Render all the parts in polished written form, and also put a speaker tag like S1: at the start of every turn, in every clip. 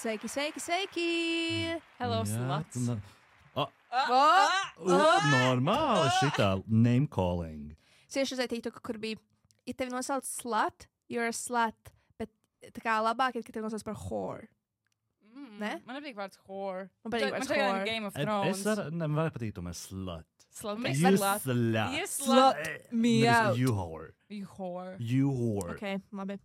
S1: Sveiki!
S2: Hello, sluts.
S3: Normāli šitā name calling.
S1: Cieši uz TikTok, kur bija, ja tevi nosauc slut, you're a slut, bet tā kā labāk ir, ka tevi nosauc par whore. Ne?
S2: Man nepatīk vārds whore.
S1: Man patīk vārds
S2: Man
S1: whore.
S2: Game of Thrones.
S3: Man var patīt tomēr slut.
S2: Slut.
S3: You
S2: Slut.
S3: slut.
S2: You slut.
S1: Me out.
S3: You whore.
S2: You whore.
S3: You whore.
S1: Ok, labi.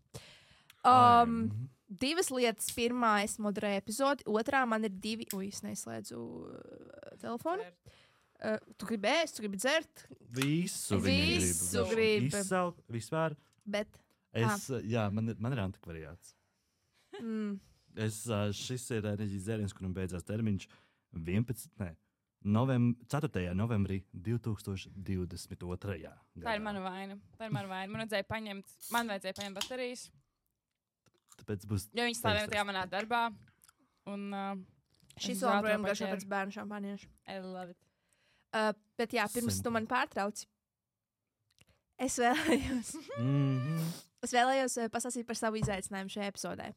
S1: Divas lietas. Pirmā, es moderēju epizodi. Otrā, man ir divi... Ui, es neizslēdzu telefonu. Tu gribi ēst, tu gribi dzert.
S3: Visu
S1: gribi.
S3: Izsaukt, vispār.
S1: Bet...
S3: Jā, man ir antikvariāts. Šis ir enerģijas dzēriens, kuram beidzās termiņš 4. novembrī 2022. gadā.
S2: Tā ir mana vaina. Man vajadzēja paņemt baterijas.
S3: Tāpēc būs...
S2: Jo viņi stāvēja tajā manā darbā. Un...
S1: Šis joprojām garšo pēc bērnu šampaniešu.
S2: I love it.
S1: Bet jā, pirms tu man pārtrauci. Es vēlējos pastāstīt par savu izaicinājumu šajā epizodē.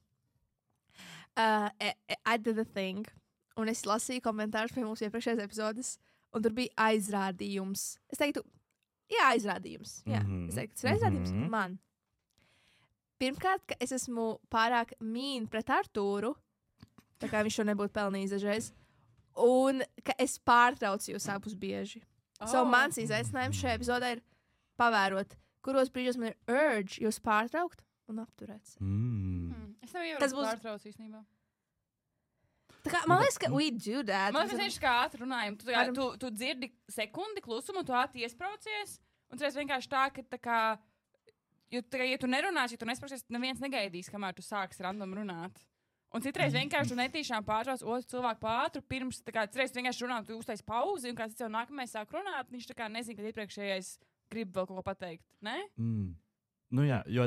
S1: I did a thing, un es lasīju komentārus pie mūsu iepriekšējās epizodes, un tur bija aizrādījums. Es teiktu, aizrādījums. Jā, es teiktu, tas ir aizrādījums man. Pirmkārt, ka es esmu pārāk mīna pret Artūru, tā kā viņš to nebūtu pelnījis dažreiz, un ka es pārtraucu jūs abus bieži. So mans izaicinājums šajā epizodē ir pavērot, kuros brīžos man ir urge jūs pārtraukt un apturēt.
S2: Es tev jau pārtraucu īstenībā.
S1: Tā kā, man liekas, ka we do that.
S2: Man liekas, ka ātri runājam. Tu dzirdi sekundi klusumu, tu ātri iespraucies, un tu vienkārši tā, ka tā kā, ja tu nerunāsi, ja tu nespraucies, neviens negaidīs, kamēr tu sāksi random runāt. Un citreiz vienkārši tu netīšām pārtrauc otru cilvēku pātru, pirms, tā kā, citreiz vienkārši runā, tu uztais pauzi, un kāds jau nākamais sāk runāt, viņš tā kā nezin, kad iepriekšējais grib vēl kaut ko pateikt, ne?
S3: Nu jā, jo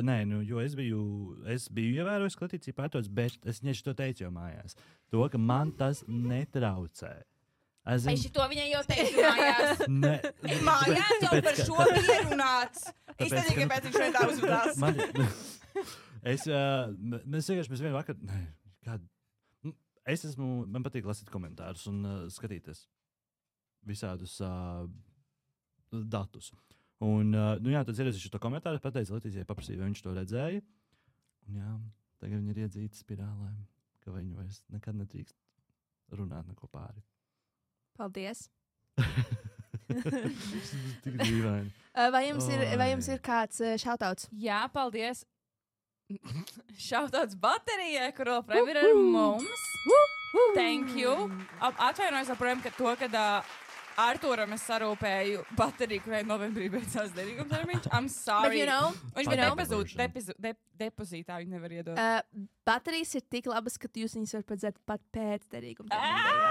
S3: es biju ievērojis klatīciju pārtots, bet es to teicu jau mājās. To, ka man tas netraucē.
S2: Es to viņai jau teicu mājās. Mājās jau par šo pierunāts. Es nezinu, kāpēc viņš šeit tā uzvedās.
S3: Mēs vienu vakar... Man patīk lasīt komentārus un skatīties visādus datus. Un, tad ieraudzīšu to komentāru, pateicu Letīcijai, paprasīju, vai viņš to redzēja. Un jā, tagad viņi ir iedzīti spirālēm, ka viņi vairs nekad nedrīkst runāt neko pāri.
S1: Paldies.
S3: Tik dīvaini.
S1: Vai jums ir kāds shoutouts?
S2: Jā, paldies. Shoutouts baterijai, kur joprojām ir ar mums. Thank you. Atvainojos joprojām, kad Artūram es sarūpēju bateriju, kurai novembrī beidzās derīguma termiņš. I'm sorry. Viņš bija depozītā, viņi nevar iedot.
S1: Baterijas ir tik labas, ka jūs viņus varat padzert pat pēc derīguma termiņa.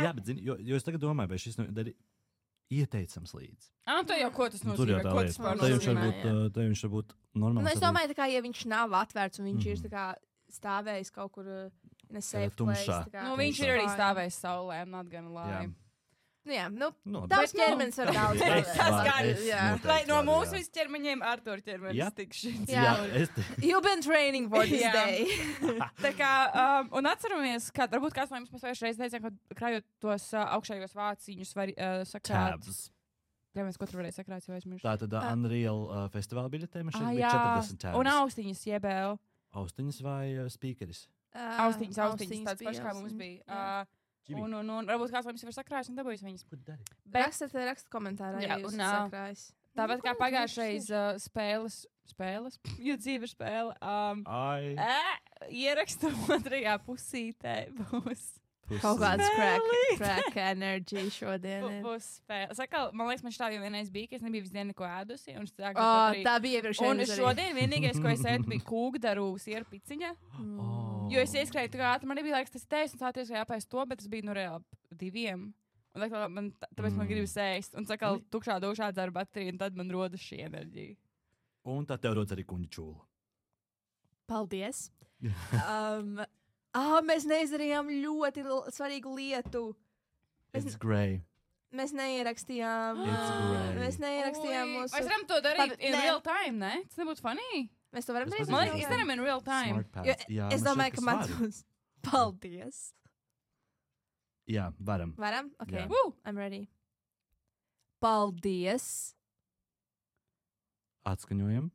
S3: Jā, bet zini, jo es tagad domāju, vai šis ieteicams līdzi.
S2: Tu jau ko tas nozīmē? Ko tas var
S3: nozīmēt? Te viņš var būt normāls.
S1: Es domāju, tā kā, ja viņš nav atvērts un viņš ir tā kā stāvējis kaut kur in a safe place.
S2: Viņš ir arī stāvējis saulē, I'm not gonna lie.
S1: Jā, tavs ķermenis var daudz.
S2: Lai no mūsu visu ķermeņiem Artūra ķermenis tikšķins.
S1: You've been training for this day.
S2: Tā kā, un atceramies, ka varbūt kāds no jums mēs vairs teicām, ka krājot tos augšējos vāciņus var sakrāt. Jā, mēs katru varēja sakrāt, jo aizmirst.
S3: Tā tad Unreal festivāla biļetē man šeit bija 40 tabs.
S2: Un austiņas jebēl.
S3: Austiņas vai speakeris?
S2: Austiņas, tāds pašs kā mums bija. Un varbūt kāds mums ir sakrājis un dabūjis viņas.
S1: Raksta komentārā, ja jūs sakrājis.
S2: Tāpat kā pagājušais spēles, jo dzīve ir spēle. Ierakstu otrajā pusītē būs.
S1: Kaut kāds crack energy šodien.
S2: Būs spēle. Man liekas, man štāv jau vienreiz bija, ka es nebiju visdien neko ēdusi.
S1: Tā bija iepriekšējā.
S2: Un šodien vienīgais, ko es ēdu, bija kūkdaru sieru piciņa. Jo es ieskrēju tā ātri, man nebija laiks tas teikt, un sāties jāpēst to, bet tas bija reāli 2. Un tāpēc man gribas ēst. Un tukšā dušā dzeru bateriju, un tad man rodas šī enerģija.
S3: Un tad tev rodas arī kuņģa čūla.
S1: Paldies. Mēs neizdarījām ļoti svarīgu lietu.
S3: It's grey.
S1: Mēs neierakstījām.
S3: Mēs
S1: neierakstījām mūsu...
S2: Mēs varam to darīt in real time, ne? Tas nebūtu funny.
S1: Mēs to varam darīt.
S2: Man liekas, izdarām in real time.
S1: Es domāju, ka man tos Paldies.
S3: Jā, varam.
S1: Varam? Ok.
S3: Jā.
S1: Woo! I'm ready. Paldies.
S3: Atskaņojam.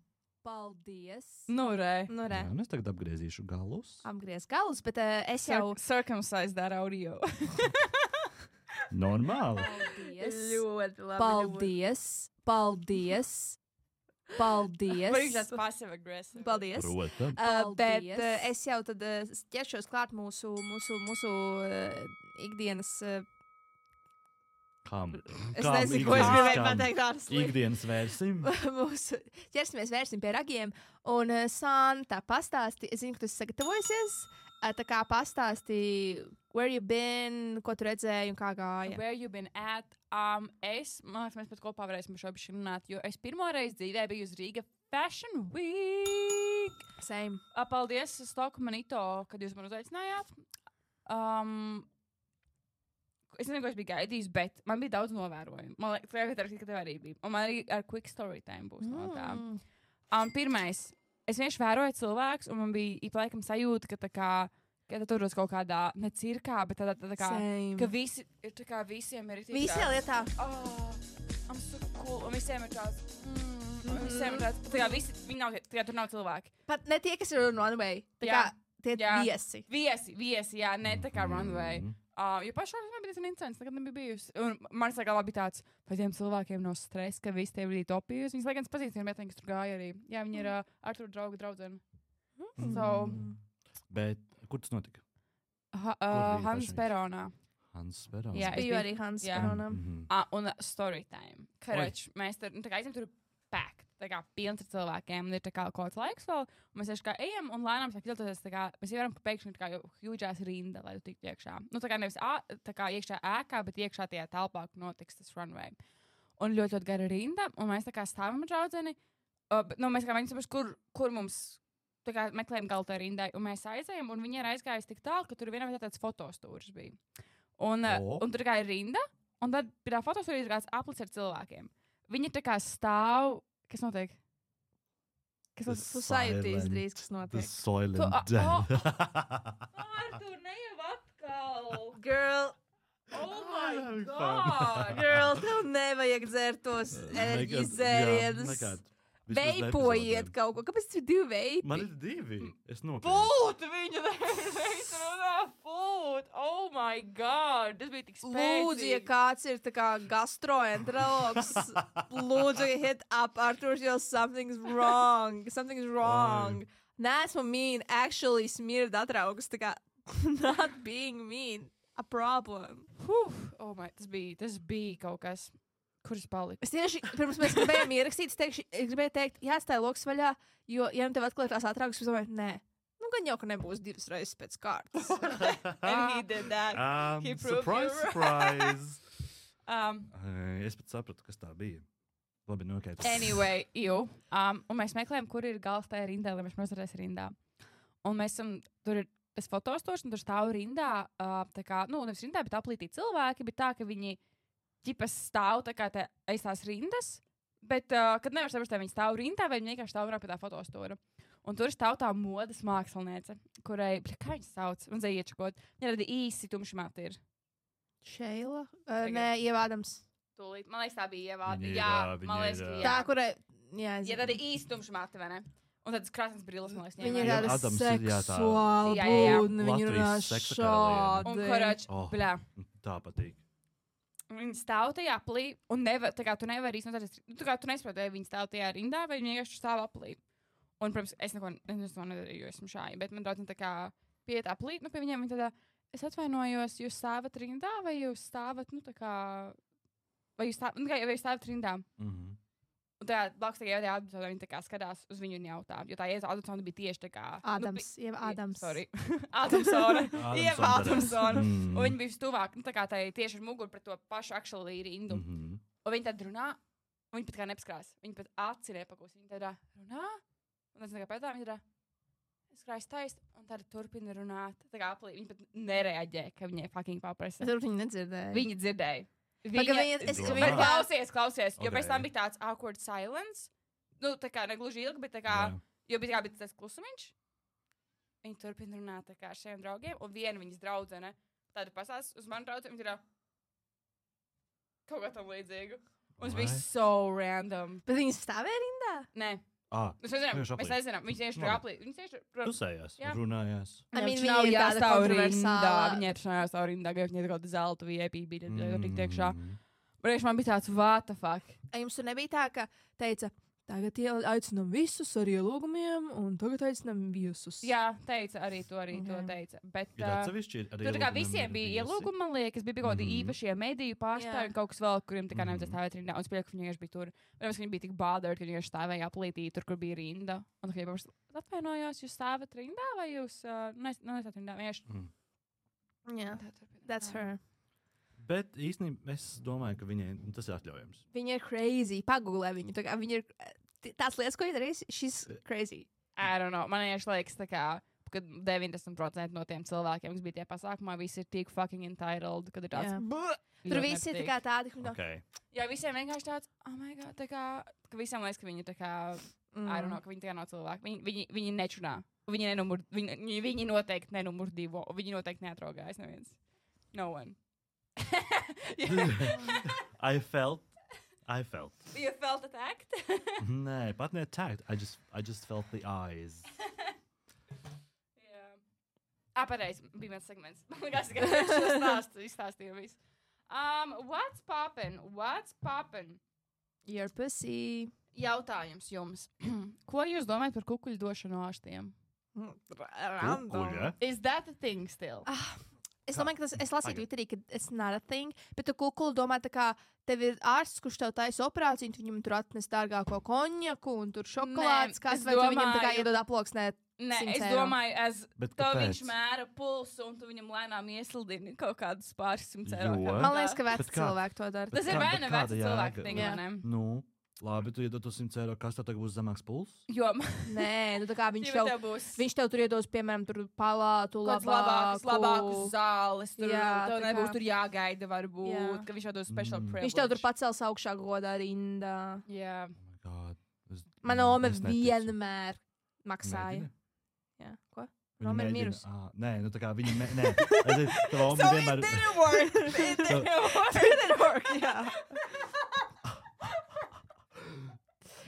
S1: Paldies.
S2: Nu, re.
S1: Nu, re.
S3: Jā, es tagad apgriezīšu galus.
S1: Apgriez galus, bet es jau...
S2: Circumcise that audio.
S3: Normāli.
S1: Paldies.
S2: Ļoti labi.
S1: Paldies. Paldies. Paldies.
S2: Viņš tāds passive aggressive.
S1: Paldies.
S3: Protams.
S1: Bet es jau tad ķeršos klāt mūsu ikdienas...
S3: Kam?
S1: Es nezinu, ko es gribēju pateikt tādas lietas.
S3: Ikdienas vērsim.
S1: Vērsim pie ragiem. Un Santa pastāsti, es zinu, ka tu esi sagatavojusies. Tā kā pastāsti, where you been, ko tu redzēji un kā gāja.
S2: Where you been at? Man liekas, mēs pat kopā varēsim par šo bišķi runāt, jo es pirmo reizi dzīvē biju uz Rīga Fashion Week.
S1: Same.
S2: Paldies Stoku Manito, kad jūs man uzaicinājāt. Es nezinu, ko es biju gaidījis, bet man bija daudz novērojumu. Man liekas, ka tev arī bija. Un man arī ar quick story time būs no tā. Pirmais, es vienkārši vēroju cilvēkus, un man bija laikam sajūta, ka tā kā, ka tur uz kaut kādā, ne cirkā, bet tā kā,
S1: Same.
S2: ka visi ir tā kā visiem ir
S1: Visā lietā.
S2: I'm so cool, un visiem ir tāds, visiem ir tāds, tā kā visi, viņi nav, tā kā tur nav cilvēki.
S1: Pat ne tie, kas ir runway. Tā kā tie viesi.
S2: Viesi, jā, ne tā kā runway. Jo pašā man bija tas incidents, nekad nebija bijusi. Un man galvā bija tāds, vai tiem cilvēkiem nav stress, ka visi tie bija topījus. Viņas laikam pazīstina meiteņi, kas tur gāja arī. Jā, viņi ir Artura draudzene.
S3: Bet kur tas notika?
S2: Hans Peronā.
S3: Hans Peronā.
S2: Jā,
S1: Es biju arī Hans Peronā.
S2: Un story time. Karač, mēs tur, tā kā aizim tur packed. Tā kā pilns ar cilvēkiem, un ir tā kā kaut kāds laiks vēl, un mēs vienkārši kā ejam, un lēnām sāk iltoties, tā kā mēs ievaram, ka pēkšņi ir tā kā hjūģās rinda, lai tu tiktu iekšā. Nu, tā kā nevis tā kā iekšā ēkā, bet iekšā tajā telpā, kur notiks tas runway. Un ļoti, ļoti gara rinda, un mēs tā kā stāvam ar draudzeni, mēs kā viņi saprast, kur mums, tā kā meklējam galu tajā rindai, un mēs aizējam, un viņi ir aizgājis tik tālu, ka tur vienā vietā tāds fotostūris bija. Un tur kā ir rinda, un tad pie tā fotostūris ir kāds aplis ar cilvēkiem. Viņi tā kā stāv. Kas notiek?
S1: Tu sajūtīs drīz, kas notiek.
S3: The Soylent Death.
S2: Artur, ne jau atkal!
S1: Girl,
S2: Oh my god!
S1: girl, tev nevajag dzert tos izērienus. Veipojiet kaut ko. Kāpēc tu divi veipi?
S3: Man ir divi. Es nopirku.
S2: Fūt! Viņa reiz runā fūt! Oh my god! Tas bija tik spēcīgi.
S1: Lūdzu, ja kāds ir tā kā gastroenterologs, lūdzu, hit up Arturs, jo something's wrong. Something's wrong. Nesmu mean, actually smird atraugus, tā kā not being mean. A problem.
S2: Oh my, tas bija kaut kas. Kur es paliku?
S1: Es tieši pirms mēs gribējām ierakstīt, es gribēju teikt, jāatstāj loks vaļā, jo, ja nu tev atklāt tās atraugas, es domāju, nē. Nu, gan jau, ka nebūs 2 reizes pēc kārtas.
S2: And he did that. He proved
S3: Surprise,
S2: you
S3: surprise.
S2: right.
S3: Es pat sapratu, kas tā bija. Labi, nokēt.
S2: Anyway, un mēs meklējam, kur ir gals tajā rindā, lai mēs nostāties rindā. Un mēs esam, tur ir tas fotostors, un tur stāv rindā, tā kā, nevis rindā, bet aplītī cilvēki, bet tā, ka viņi ģipas stāv tā kā aiz tās rindas, bet, kad nevar saprast, vai viņi stāv rindā, vai viņi vienkārši stāv pie tā fotostora. Un tur stāv tā modes māksliniece, kurai, kā viņas sauc, un zai iečakot, viņa rada īsi tumšmati ir.
S1: Šeila? Nē, Ievādams.
S2: Tūlīt, man liekas, tā bija Ievāda.
S3: Viņa ir,
S2: Jā,
S3: viņa
S2: man liekas,
S3: ir,
S2: ka
S1: Tā,
S2: jā.
S1: kurai, jā, es
S2: Ja tāda īsi tumšmati, vai ne? Un tādas krāsnes brilles, man liekas,
S1: Viņa ir
S3: Jā,
S1: tāda
S3: Adams ir, jā, tā.
S1: seksuāla
S2: Jā, jā, jā.
S1: būtne, viņa runā
S3: Latvijas seksa karaliene.
S2: Un,
S1: šādi.
S2: korāč,
S3: Oh.
S2: bļā.
S3: Tā patīk.
S2: Viņi stāv tajā aplī, un tā kā tu nevari īstenot, tā kā tu nesaproti, vai viņi stāv tajā rindā, vai viņi vienkārši stāv aplī. Un, protams, es neko nedarīju, jo esmu šādi, bet man draudzene tā kā pieiet aplī, pie viņiem viņi tādā, es atvainojos, jūs stāvat rindā, vai jūs stāvat, tā kā, vai jūs stāvat rindā? Un tā blakus tā Ieva Adamsona, viņi tā kā skatās uz viņu un jautā, jo tā Ieva Adamsona bija tieši tā kā...
S1: Ieva Adams.
S2: Sorry. Adamsona. Ieva Adamsona.
S3: Mm.
S2: Un viņi bija stuvāk, tā kā tā tieši ar muguru pret to pašu actually rindu. Un viņi tad runā, un viņi pat kā nepaskrās. Viņi pat aci nepakūs. Viņi tādā runā, un tas tā kā pētā, viņi tādā skrājas taist, un tad turpina runāt. Tā kā aplī, viņi pat nereaģē, ka viņai fucking paprasa.
S1: Es varbūt viņi nedzirdēja.
S2: Viņi dzirdēja.
S3: Viņa-
S2: Klausies, jo
S3: Ok.
S2: pēc tam bija tāds awkward silence. Tā kā negluži ilgi, bet tā kā,
S3: Jā.
S2: jo bija tas klusumiņš. Viņi turpina runāt tā kā ar šiem draugiem, un viena viņas draudzene tāda pasās uz manu draudzeni, viņa ir kaut kā tam līdzīgu. Un tas bija so random.
S1: Bet viņas stāvēja rindā?
S2: Nē.
S3: Mēs
S2: nezinām. Viņš tieši tur aplī. Viņš tieši tur
S3: pusējās, runājās.
S1: Viņa nav jāstāv rindā.
S2: Viņa ir jāstāv rindā, ka viņa ir kaut kāda zelta VIP bija tik tiekšā. Bet man bija tāds, what the fuck?
S1: Jums tur nebija tā, ka teica, tagad aicinām visus ar ielūgumiem, un tagad aicinām viesus.
S2: Jā, teica arī to teica. Bet tur kā visiem bija ielūgumi, man liekas, bija kaut kādi īpašie mediju pārstāvji un kaut kas vēl, kuriem tā kā nevajadzēja stāvēt rindā. Un es pieļauju, ka viņi vienkārši bija tur. Protams, viņi bija tik bothered, ka viņi vienkārši stāvēja aplītī tur, kur bija rinda. Un tā kā jau atvainojos, jūs stāvat rindā vai jūs nesat rindā?
S1: Jā, that's her.
S3: Bet īstenībā es domāju, ka viņai tas ir atļaujams.
S1: Viņa ir crazy. Pagūlē viņu. Viņa ir tās lietas, ko viņa darīs, she's crazy.
S2: I don't know. Man liekas, tā kā, ka 90% no tiem cilvēkiem, kas bija tie pasākumā, visi ir tik fucking entitled, kad ir tāds.
S1: Tur visi ir tā kā tādi,
S2: Jā, visiem vienkārši tāds, oh my god, tā kā, ka visiem liekas, ka viņi tā kā, I don't know, ka viņi tā kā nav cilvēki. Viņi nečunā. Viņi noteikti nenumur 2. Viņi noteikti neatraugājas neviens. No one.
S3: I felt.
S2: You felt attacked?
S3: Nē, pat ne attacked. I just felt the eyes.
S2: Jā. Pareizi, bija viens segments. Man liekas, ka šo izstāstīju visu. What's poppin'?
S1: Your pussy.
S2: Jautājums jums. Ko jūs domājat par kukuļu došanu ārstiem?
S3: Kukuļa?
S2: Is that a thing still?
S1: Es domāju, ka es lasīju Twitterī, ka it's not a thing, bet tu kukuli domā, tā kā tev ir ārsts, kurš tev taisa operāciju, un tu viņam tur atnes dārgāko konjaku, un tur šokolādes, kas vai tu viņam tā kā iedod aploksnēt.
S2: Nē, es domāju, ka viņš mēra pulsu, un tu viņam lēnām ieslidini kaut kādus pāris 100 eiro.
S1: Man liekas, ka veci cilvēki to dara.
S2: Tas ir vai ne veci cilvēki, ne?
S3: Nu. Labi, tu iedod 100 eiro, kas tev tagad būs zemāks pulss?
S2: Jo,
S1: nē, nu tā kā viņš tev tur iedos, piemēram, tur palātu,
S2: labākus zāles, tur tev nebūs tur jāgaida, varbūt, ka viņš tev dos special privilege.
S1: Viņš tev tur pacels augšā godā rindā.
S2: Jā.
S3: Oh my God.
S1: Mana ome vienmēr maksāja. Jā, ko? Roma ir mirus.
S3: Nē, nu tā kā viņa, nē. Tava ome vienmēr...
S2: It didn't work, jā.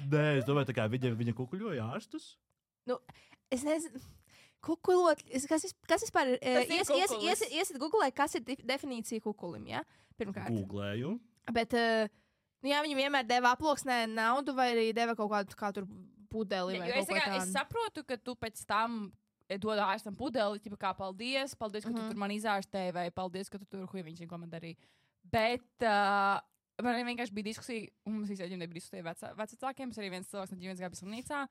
S3: Nē, es domāju, tā kā viņa kukuļoja ārstus.
S1: Nu, es nezinu. Kukulot, kas vispār ir? Iesit googlē, kas ir definīcija kukulim, jā? Pirmkārt.
S3: Googlēju.
S1: Bet, nu jā, viņi vienmēr deva aploksnē naudu vai arī deva kaut kādu kā tur pudeli vai kaut ko tādu.
S2: Es saprotu, ka tu pēc tam dod ārstam pudeli, tipa kā paldies, ka tu tur man izārstēji vai paldies, ka tu tur viņš ko man darīja. Bet... Man vienkārši bija diskusija, un mums visiem nebija diskusija vecākiem. Es arī viens cilvēks no ģimenes gāja bija slimnīcā.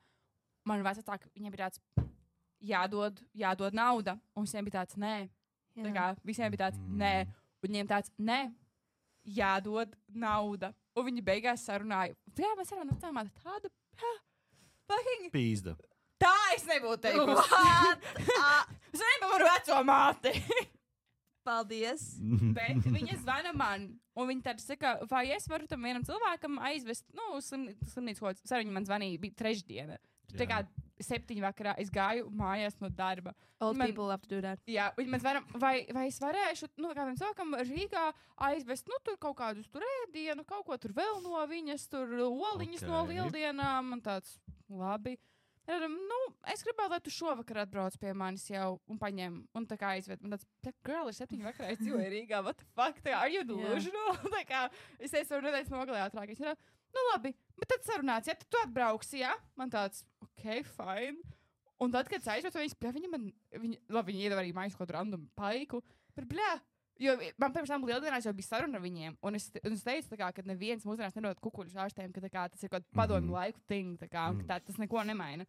S2: Man vecāki, viņiem bija tāds, jādod nauda, un visiem bija tāds, nē. Tā kā visiem bija tāds, nē. Un viņiem tāds, nē, jādod nauda. Un viņi beigās sarunāja. Jā, mēs sarunājam tāmāt tādu, fucking...
S3: Pīzda.
S2: Tā es nebūtu teikusi. Es nepavaru veco māti.
S1: Paldies.
S2: Bet viņa zvana man, un viņa tad saka, vai es varu tam vienam cilvēkam aizvest, uz slimnīcu kaut kāds. Viņa man zvanīja, bija trešdiena. Tā kā 7 vakarā es gāju mājās no darba.
S1: Old people have to do that.
S2: Jā, viņa man zvana, vai es varēšu, kādam cilvēkam Rīgā aizvest, tur kaut kādus tur ēdienu, kaut ko tur vēl no viņas, tur oliņas no lieldienām, un tāds, labi. Es gribētu, lai tu šovakar atbrauc pie manis jau un paņem, un tā kā aizved. Man tāds, girl, ir 7 vakarā, es dzīvoju Rīgā, what the fuck, tā kā, are you delusional? Tā kā, es teicu, nedēļas nogalē ātrāk. Es teicu, labi, bet tad sarunāts, ja tad tu atbrauksi, jā? Man tāds, ok, fine. Un tad, kad es aizvedu, viņi iedeva arī maisu kaut random paiku, bet jo man pirms tam lieldienās jau bija saruna ar viņiem, un es teicu, tā kā, ka neviens mūsdienās nedod kukuļus ārstiem, ka tā kā, tas ir kaut padomju laiku thing, tā kā, ka tas neko nemaina.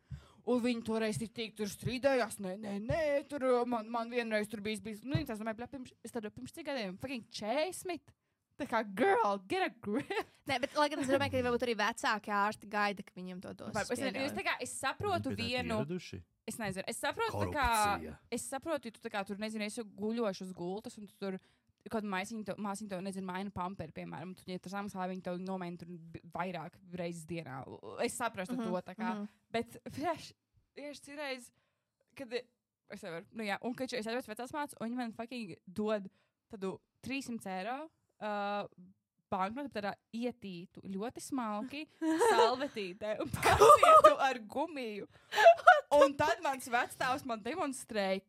S2: Un viņi toreiz tur strīdējās, nē, tur man vienreiz tur bijis, es domāju, pirms cik gadiem, fucking 40. Tā kā, girl, get a grip.
S1: Nē, bet, lai gan es domāju, ka varbūt arī vecāki ārsti gaida, ka viņiem to dos.
S2: Es saprotu vienu... Es nezinu, es saprotu, ja tu tā kā tur, nezinu, esi guļoši uz gultas, un tu tur kaut māsiņu tev, nezinu, maina pamperi, piemēram, tu, ja tas samaksā, viņi tev nomaina tur vairāk reizes dienā. Es saprastu to, tā kā, bet, tieši cireiz, kad Es nevaru. Nu, jā, un kad es aizvedu vecās mācas, un viņi man fucking dod tādu 300 eiro banknotu, tādā ietītu, ļoti smalki, salvetītē un pasietu ar gumiju. Un tad mans vecstāvs man demonstrēja,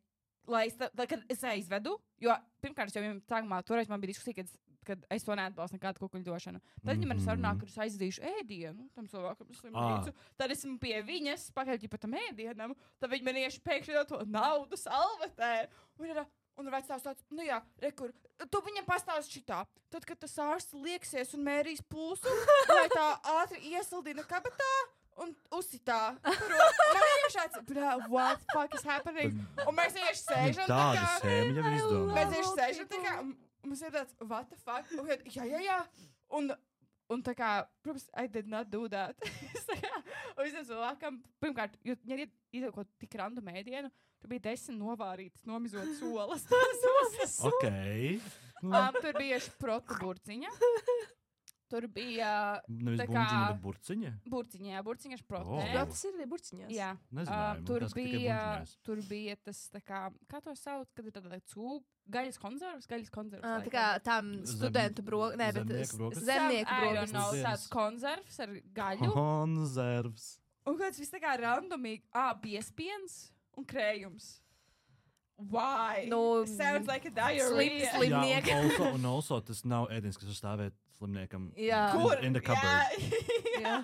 S2: kad es aizvedu, jo pirmkārt, jau viņam sākumā toreiz man bija diskusija, kad es to neatbalstu nekādu kukuļdošanu. Tad viņi man sarunā, kad es aizdīšu ēdienu tam cilvēkam slimnīcu. Tad esmu pie viņas, pakaļ pa tam ēdienam, tad viņi man ieši pēkšņi to naudu salvetē. Un vecāks tāds, nu jā, rekur, tu viņam pastāsti šitā. Tad, kad tas ārsts lieksies un mērīs pulsu, lai tā ātri iesaldina kabatā un uzsitā. Man ir šāds, what the fuck is happening? Un mēs ieši sēžam tā kā.
S3: Tāda sēma jau izdomā.
S2: Mēs ieši sēžam tā kā. Mums ir tāds, what the fuck? Jā. Un tā kā, protams, I did not do that. Un visam cilvēkam, pirmkārt, ja iedod kaut tik random ēdienu, tur bija 10 novārītas, nomizotas olas.
S3: Ok.
S2: Tur bija šprotu burciņa. Tur bija
S3: Nevis
S2: tā kā
S3: bundziņa, bet burciņa?
S2: Burciņa šprotu.
S3: Oh.
S1: Šprotas ir burciņās.
S2: Jā.
S3: Nezināju,
S2: Tur bija tas, tā kā to sauc, kad ir tāda gaļas konservs.
S1: Tā kā tam studentu zemnieku brokas.
S2: Tāds konservs ar gaļu.
S3: Konservs.
S2: Un kāds viss tā kā randomīgi, biespiens un krējums. Why? Sounds like a diarrhea.
S1: Slimnieki.
S3: Jā, un also tas nav ēdienis, kas uzstāvēt slimniekam.
S1: Jā.
S2: Kur?
S3: In the cupboard.
S2: Jā.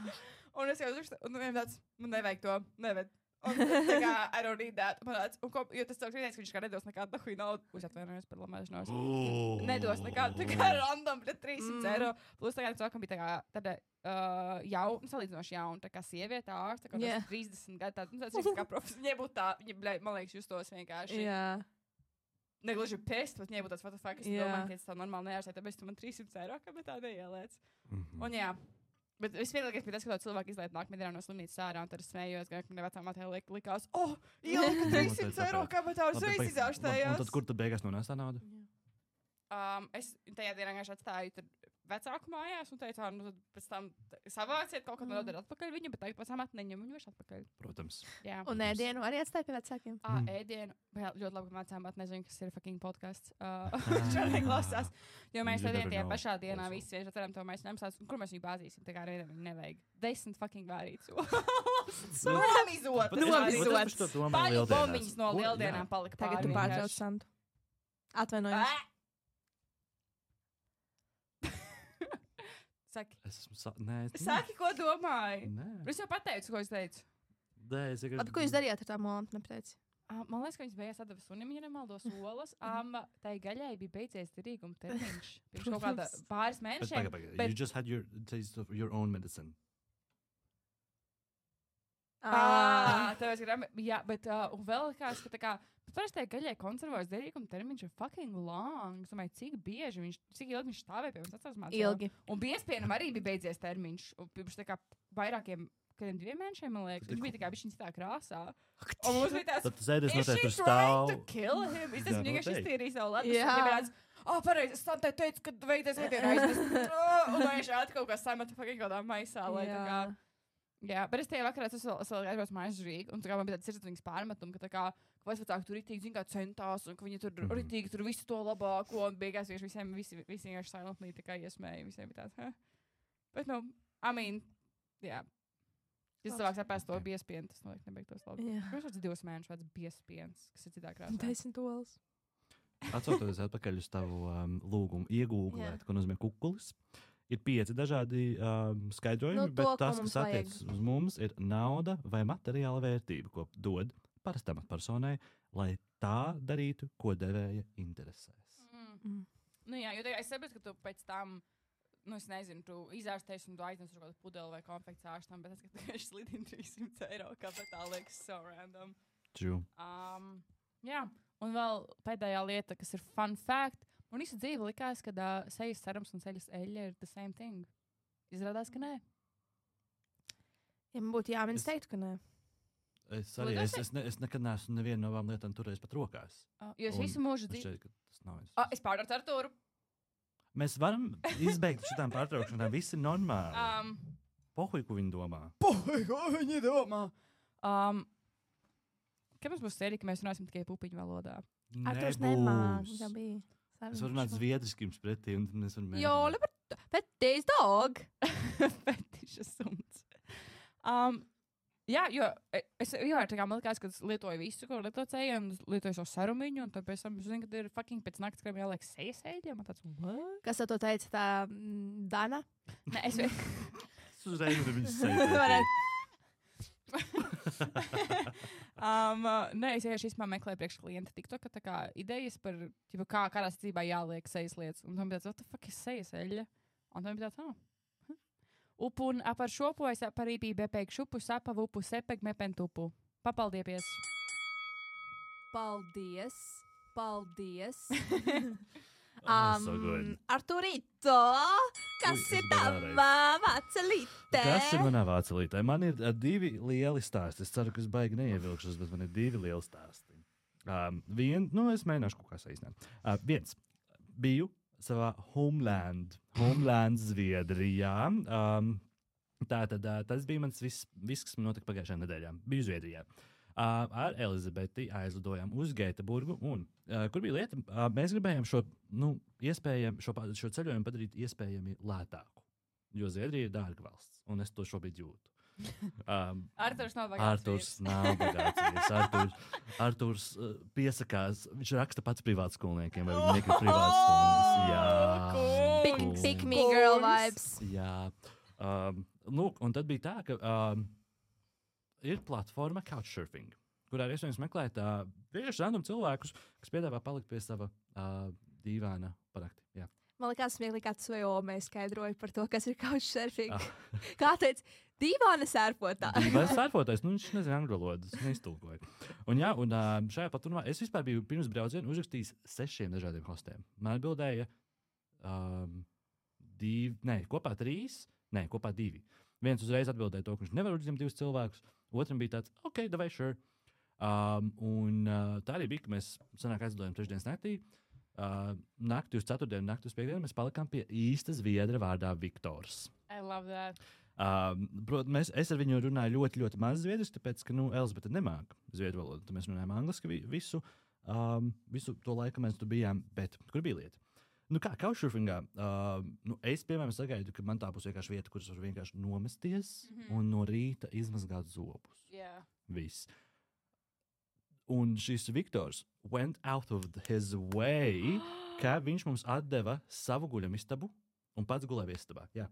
S2: Un es jau uzrakstu, un viņam tāds, man nevajag to, neved. Un tā kā, I don't need that. Man tāds, jo tas cilvēks vienais, ka viņš kā nedos nekādu nahuju naudu. Uz atvainojos par lamēšanos. Nedos nekādu, tā kā random, bet 300 eiro. Plus tā kā cilvēkam bija tā kā, tāda salīdzinoši jauna, tā kā sieviete ārsta, kā 30 gadu, tāds kā profesors. Viņai būtu tā, viņa, man liekas, justos vienkārši.
S1: Jā.
S2: Negluži pest, bet viņai būtu tāds, what the fuck, es domāju, ka es tā normāli neārstēju, tāpēc tu man 300 eiro, kā bet tā neielēc. Un jā. Bet visvienīgākais bija tas, ka cilvēki izlaiž nākamajā dienā no slimnīcas ārā, un tad es smējos, ka manai vecā mātei likās, ielika 300 eiro, kā bet tā uzreiz izārstējās.
S3: Un tad kur tad beigās nonāca tā nauda?
S2: Es tajā dienā vienkārši atstāju tur vecāku mājās un teicu, nu tad pēc tam savāciet kaut kad nodara atpakaļ viņu, bet tagad pēc tam neņem viņu vairs atpakaļ.
S3: Protams.
S2: Jā.
S1: Un ēdienu arī atstāja pie vecākiem?
S2: Ēdienu. Ļoti labi, ka vecām nezinu, kas ir fucking podcasts. Šodien klausās. Jo mēs tajā pašā dienā visi vieši atveram to mēs nemsās. Kur mēs viņu bāzīsim? Tā kā reizēm nevajag. 10 fucking vārīts. Nomizots. Paļu bombiņas no lieldienām palika pāri.
S1: Tagad tu pārtrauc Santu. Atvainojos.
S2: Saki.
S3: Saki,
S2: ko domāji?
S3: Nē.
S2: Es jau pateicu, ko es teicu.
S1: Ko jūs darījāt ar tām olām? Nepateici.
S2: Man liekas, ka viņas beigās atdeva sunim, ja nemaldos olas. Tai gaļai bija beidzies derīguma termiņš. Pirms kaut kāda pāris mēnešiem.
S3: You just had your taste of your own medicine.
S2: Tāpēc, jā, bet un vēl kāds, ka tā kā parasti tai gaļai konservojas derīguma termiņš ir fucking long. Es domāju, cik ilgi viņš stāvēja pie mums atcās mācībā.
S1: Ilgi.
S2: Un biespienam arī bija beidzies termiņš. Un pirms tā kā vairākiem, kādiem 2 mēnešiem, man liekas, viņš bija tā kā bišķiņ citā krāsā. Un mums bija tāds,
S3: tad ēdies noteikti tur
S2: trying
S3: stāv.
S2: to kill him? Es esmu vienkārši iztīrījis savu ledus.
S1: Jā.
S2: Un viņa tāds, pareizi, es tam teicu, ka veidies ēdienu aiznes. Un viņš kaut kā samata fucking kādā maisā, lai tā kā. Jā, bet es tajā vakarā vēl aizbraucu mājās Rīgu, un tā kā man bija tāds sirdsapziņas pārmetumi, ka tā kā vecāki tur ritīgi, zin kā centās, un ka viņi tur ritīgi tur visu to labāko, un beigās visi vienkārši silently tā kā iesmēja, visiem bija tāds, Bet, nu, jā. Ja cilvēks apēst to biespienu, tas noteikti nebeigtos labi. Viņš tāds 2 mēnešus vecs biespiens, kas ir citā krāsā.
S1: 10 olas.
S3: Atcaucoties atpakaļ uz tavu lūgumu iegūglēt, ko nozīmē kukulis. Ir 5 dažādi skaidrojumi, bet tas, kas attiecas uz mums, ir nauda vai materiāla vērtība, ko dod parastam personai, lai tā darītu, ko devēja interesēs.
S2: Nu jā, jo es saprotu, ka tu pēc tam, nu es nezinu, tu izārstēsi un tu aiznes uz kādu pudeli vai konfekts ārstam, bet es, ka viņš slidina 300 eiro, kāpēc tā liekas so random.
S3: True.
S2: Jā, un vēl pēdējā lieta, kas ir fun fact. Un visu dzīvi likās, ka sejas cerams un ceļas eļļa ir the same thing. Izrādās, ka nē.
S1: Ja man būtu jāmin, es teiktu, ka nē.
S3: Es nekad neesmu nevienu no abām lietām turējis pat rokās.
S2: Jo es visu mūžu dzīvi. Es pārdartu Artūru.
S3: Mēs varam izbeigt šitām pārtraukšanām. Visi normāli. Pohuj, ko viņi domā.
S2: Kad mums būs sērija, ka mēs runāsim tikai pupiņu valodā?
S1: Arturs nemāk, tā bija.
S3: Es varu runāt zviedriski jums pretī, un mēs varam mēģināt.
S1: Jo, fetish dog.
S2: Fetiša suns. Jā, jo tā kā man likās, ka es lietoju visu, ko lietocēju, un lietoju šo sarumiņu, un tad pēc tam es zinu, ka ir fucking pēc naktas krēm jāliek sejas eļļa. Man tāds, what?
S1: Kas to teica, tā Dana?
S2: Nē, es
S3: uzreiz nevar viņas sejas.
S2: Nē, es vienkārši īstenībā meklēju priekš klienta TikToka tā kā idejas par, kādā secībā jāliek sejas lietas. Un tam bija tāds, what the fuck ir sejas eļļa? Un tam bija tāds, Upun apar šopu es aparīpī bepēk šupu sapavu upu sepek mepen tupu. Papaldiepies.
S1: Paldies.
S3: So good.
S1: Arturito, kas ir tavā vācelītē?
S3: Kas ir manā vācelītē? Man ir 2 lieli stāsti. Es ceru, ka es baigi neievilkšos, bet man ir 2 lieli stāsti. Es mēģināšu kaut kā saīsināt. Viens. Biju savā homeland Zviedrijā. Tātad tas bija mans viss, kas man notika pagājušajā nedēļā. Biju Zviedrijā. Ar Elizabeti aizlidojām uz Gēteburgu, un kur bija lieta, mēs gribējām šo ceļojumu padarīt iespējami lētāku, jo Zviedrija ir dārga valsts, un es to šobrīd jūtu.
S2: Arturs nav bagāts.
S3: Arturs piesakās, viņš raksta pats privātskolniekiem, vai viņi negrib privātstundas. Jā.
S1: Pick me girl vibes.
S3: Jā. Lūk, un tad bija tā, ka ir platforma Couchsurfing, kurā ir iespējams meklēt vienkārši random cilvēkus, kas piedāvā palikt pie sava dīvāna parakti. Jā.
S1: Man liekas, smieklīgi, kā tu vai Omei skaidroji par to, kas ir couchsurfing. Kā teica, dīvāna sērfotājs.
S3: Dīvāna sērfotājs, viņš nezina angļu valodu, es neiztulkoju. Un šajā platformā es vispār biju pirms brauciena uzrakstījis 6 dažādiem hostiem. Man atbildēja kopā 2. Viens uzreiz atbildēja to, ka viņš nevar uzņemt 2 cilvēkus. Otram bija tāds, ok, davai, sure. Tā arī bija, ka mēs sanāk aizlidojām 3. naktī. Nakti uz 4. nakti uz 5. mēs palikām pie īsta zviedra vārdā Viktors.
S2: I love that.
S3: Protams, es ar viņu runāju ļoti, ļoti maz zviedriski, tāpēc, ka Elizabete nemāk zviedru valodu. Tad mēs runājām angliski visu to laiku, mēs tur bijām, bet kur bija lieta? Couchsurfingā, es, piemēram, sagaidu, ka man tā būs vienkārši vieta, kuras var vienkārši nomesties un no rīta izmazgāt zobus.
S2: Yeah.
S3: Viss. Un šis Viktors went out of his way, ka viņš mums atdeva savu guļamistabu un pats gulēja istabā. Jā.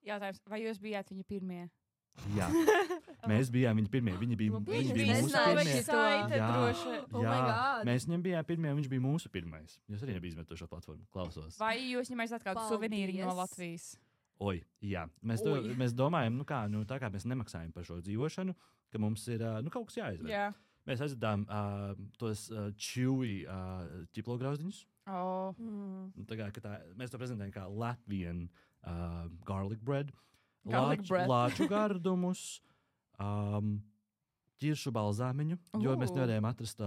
S2: Jautājums, vai jūs bijāt viņa pirmie?
S3: Jā. Mēs bijām viņa pirmie. Viņi bija mūsu pirmie. Mēs viņam bijām pirmie, un viņš bija mūsu pirmais. Jūs arī nebija izmetuši šo platformu. Klausos.
S2: Vai jūs viņam aizsāt kādu suvenīru no Latvijas?
S3: Jā. Mēs domājam, tā kā mēs nemaksājam par šo dzīvošanu, ka mums ir kaut kas jāizved.
S2: Jā.
S3: Mēs aizvedām tos chewy ķiplograuziņus. Mēs to prezentējam kā Latvian garlic bread. Lāču gardumus, ķiršu balzāmiņu, jo mēs nevarējām atrast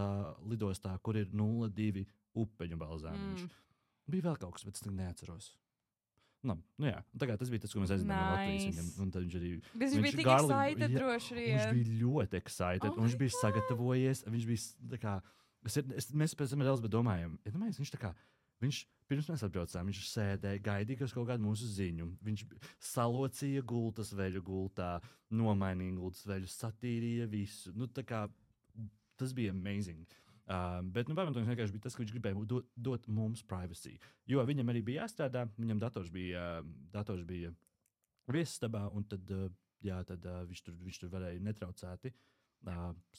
S3: lidostā, kur ir 0,2 upeņu balzāmiņš. Bija vēl kaut kas, bet es neatceros. Jā. Tagad tas bija tas, ko mēs aizinājām no Latvijas. Un tad viņš arī...
S2: Viņš bija tik excited droši vien.
S3: Viņš bija ļoti excited, un viņš bija sagatavojies. Viņš bija tā kā... Mēs pēc tam ar Elizabeti domājam, viņš tā kā... Pirms mēs atbraucām, viņš sēdēja, gaidīja kaut kādu mūsu ziņu. Viņš salocīja gultas veļu gultā, nomainīja gultas veļu, satīrīja visu. Tas bija amazing. Bet pamatojums vienkārši bija tas, ka viņš gribēja dot mums privacy. Jo viņam arī bija jāstrādā, viņam dators bija viesistabā, un tad viņš tur varēja netraucēti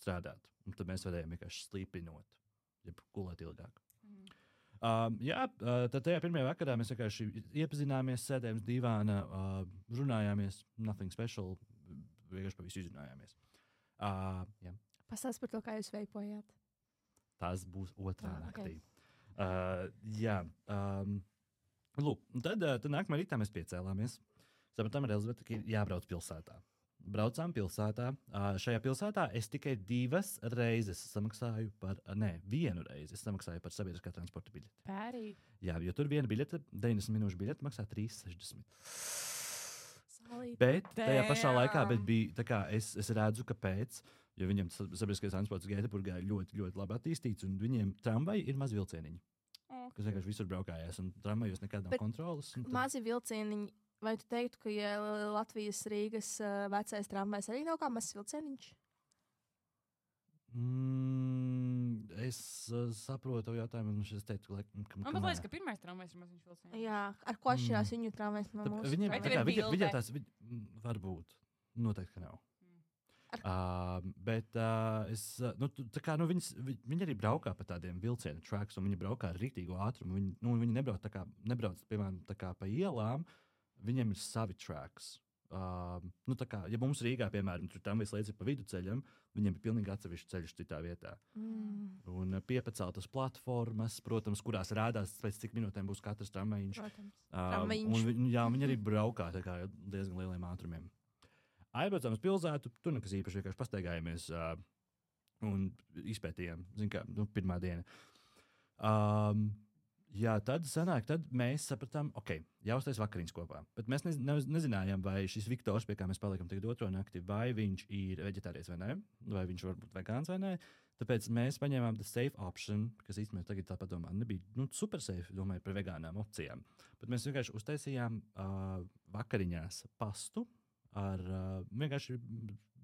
S3: strādāt. Un tad mēs varējām vienkārši slīpinot, ja gulēt ilgāk. Tad tajā pirmajā vakarā mēs vienkārši iepazināmies, sēdējām uz dīvāna, runājāmies, nothing special, vienkārši pa visu izrunājāmies.
S1: Pastāst par to, kā jūs veipojāt.
S3: Tas būs otrā naktī. Lūk, tad nākamā rītā mēs piecēlāmies. Sapratām ar Elizabeti, ka ir jābrauc pilsētā. Braucām pilsētā. Šajā pilsētā es tikai 2 reizes samaksāju vienu reizi es samaksāju par sabiedriskā transporta biļeti.
S2: Pērī.
S3: Jā, jo tur viena biļete, 90 minūšu biļete maksā 3,60. Bet tajā pašā laikā bija tā kā es redzu, kāpēc. Jo viņiem sabiedriskais transports Gēteburgā ir ļoti, ļoti labi attīstīts, un viņiem tramvaji ir mazi vilcieniņi. Kas vienkārši visur braukājās, un tramvajos nekad nav kontrolas.
S1: Mazi vilcieniņi, vai tu teiktu, ka Latvijas Rīgas vecais tramvajs arī nav kā mazs vilcieniņš?
S3: Es saprotu jautājumu, un es teiktu, ka...
S2: Man liekas, ka pirmais tramvajs ir maziņš vilciens.
S1: Jā, ar ko atšķirās viņu tramvajs no mūsu?
S3: Viņiem tās varbūt, noteikti, ka nav. Bet viņi arī braukā pa tādiem vilcienu tracks, un viņi braukā ar rītīgu ātrumu. Viņi nebrauc, piemēram, pa ielām, viņiem ir savi tracks. Ja mums Rīgā, piemēram, tur tam vislīdz ir pa viduceļam, viņiem ir pilnīgi atsevišķi ceļš citā vietā. Un piepaceltas platformas, protams, kurās rādās pēc cik minūtēm būs katrs tramvajiņš. Viņi arī braukā diezgan lieliem ātrumiem. Aizbraucām uz pilsētu, tur nekas īpaši vienkārši pastaigājāmies un izpētījām, pirmā diena. Tad mēs sapratām, jāuztais vakariņas kopā. Bet mēs nezinājām, vai šis Viktors, pie kā mēs palikam tagad otro nakti, vai viņš ir veģetārietis vai nē, vai viņš var būt vegāns vai nē. Tāpēc mēs paņēmām the safe option, kas īstenībā tagad tā padomā, nebija super safe, domāju par vegānām opcijām. Bet mēs vienkārši uztaisījām vakariņās pastu, ar vienkārši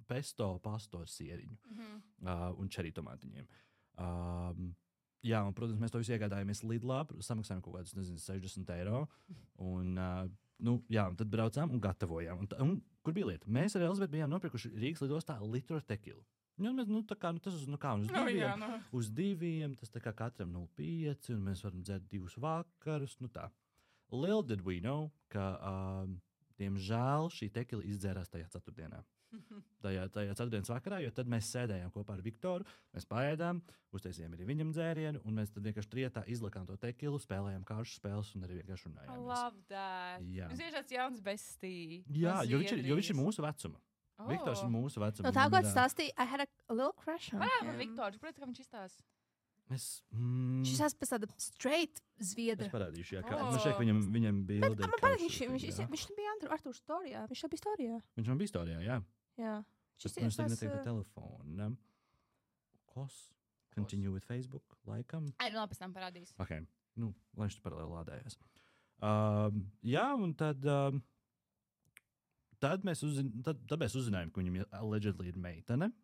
S3: pesto pastu ar sieriņu un čerī tomātiņiem. Un, protams, mēs to visu iegādājāmies Lidlā, samaksājām kaut kādus, 60 eiro. Un tad braucām un gatavojām. Un kur bija lieta? Mēs ar Elizabeti bijām nopirkuši Rīgas lidostā litru ar tekilu. Uz diviem, tas tā kā katram 0,5, un mēs varam dzert 2 vakarus. Little did we know, ka... Diemžēl šī tekila izdzērās tajā ceturtdienā. Tajā ceturtdienas vakarā, jo tad mēs sēdējām kopā ar Viktoru, mēs paēdām, uztaisījām arī viņam dzērienu, un mēs tad vienkārši trietā izlikām to tekilu, spēlējām kāršu spēles un arī vienkārši runājām.
S2: I love that. Viņš ir tāds jauns bestie.
S3: Jā, jo viņš ir mūsu vecuma. Viktors ir mūsu vecuma.
S1: No tā, ko stāstīja, I had a little crush on him.
S2: Varētu par Viktoru, kāpēc viņš izstās?
S1: Šis esmu pēc tāda straight zviedra.
S3: Es parādīšu, viņam bija
S1: ilgi. Viņš bija Artūrs storijā. Viņš bija storijā.
S3: Viņš bija storijā, jā. Viņš tagad netiek pa telefonu. Continue with Facebook, laikam.
S2: Pēc tam parādīs.
S3: Lai viņš tur paralēli lādējās. Un tad mēs uzzinājām, ka viņam allegedly ir meitene.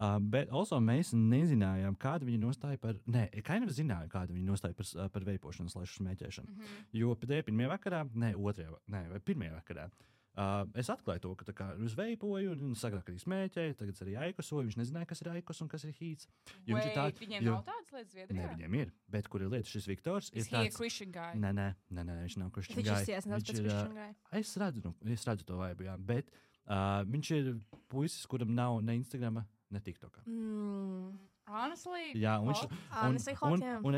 S3: Bet also mēs nezinājām, kāda viņa nostāja par... zinājām, kāda viņa nostāja par veipošanu / smēķēšanu. Jo pirmajā vakarā, pirmajā vakarā, es atklāju to, ka es veipoju, un agrāk arī smēķēju, tagad arī aikosoju. Viņš nezināja, kas ir aikos un kas ir hīts.
S2: Viņiem nav tādas lietas Zviedrijā?
S3: Ne, viņiem ir. Bet kur ir lieta? Šis Viktors ir tāds...
S2: Christian guy?
S3: Nē, viņš nav Christian guy.
S1: Viņš izsies pēc Christian guy.
S3: Es redzu to vaibu, jā. Bet viņš ir puisis, kuram nav ne Instagrama, ne TikTokā.
S2: Honestly?
S3: Jā, un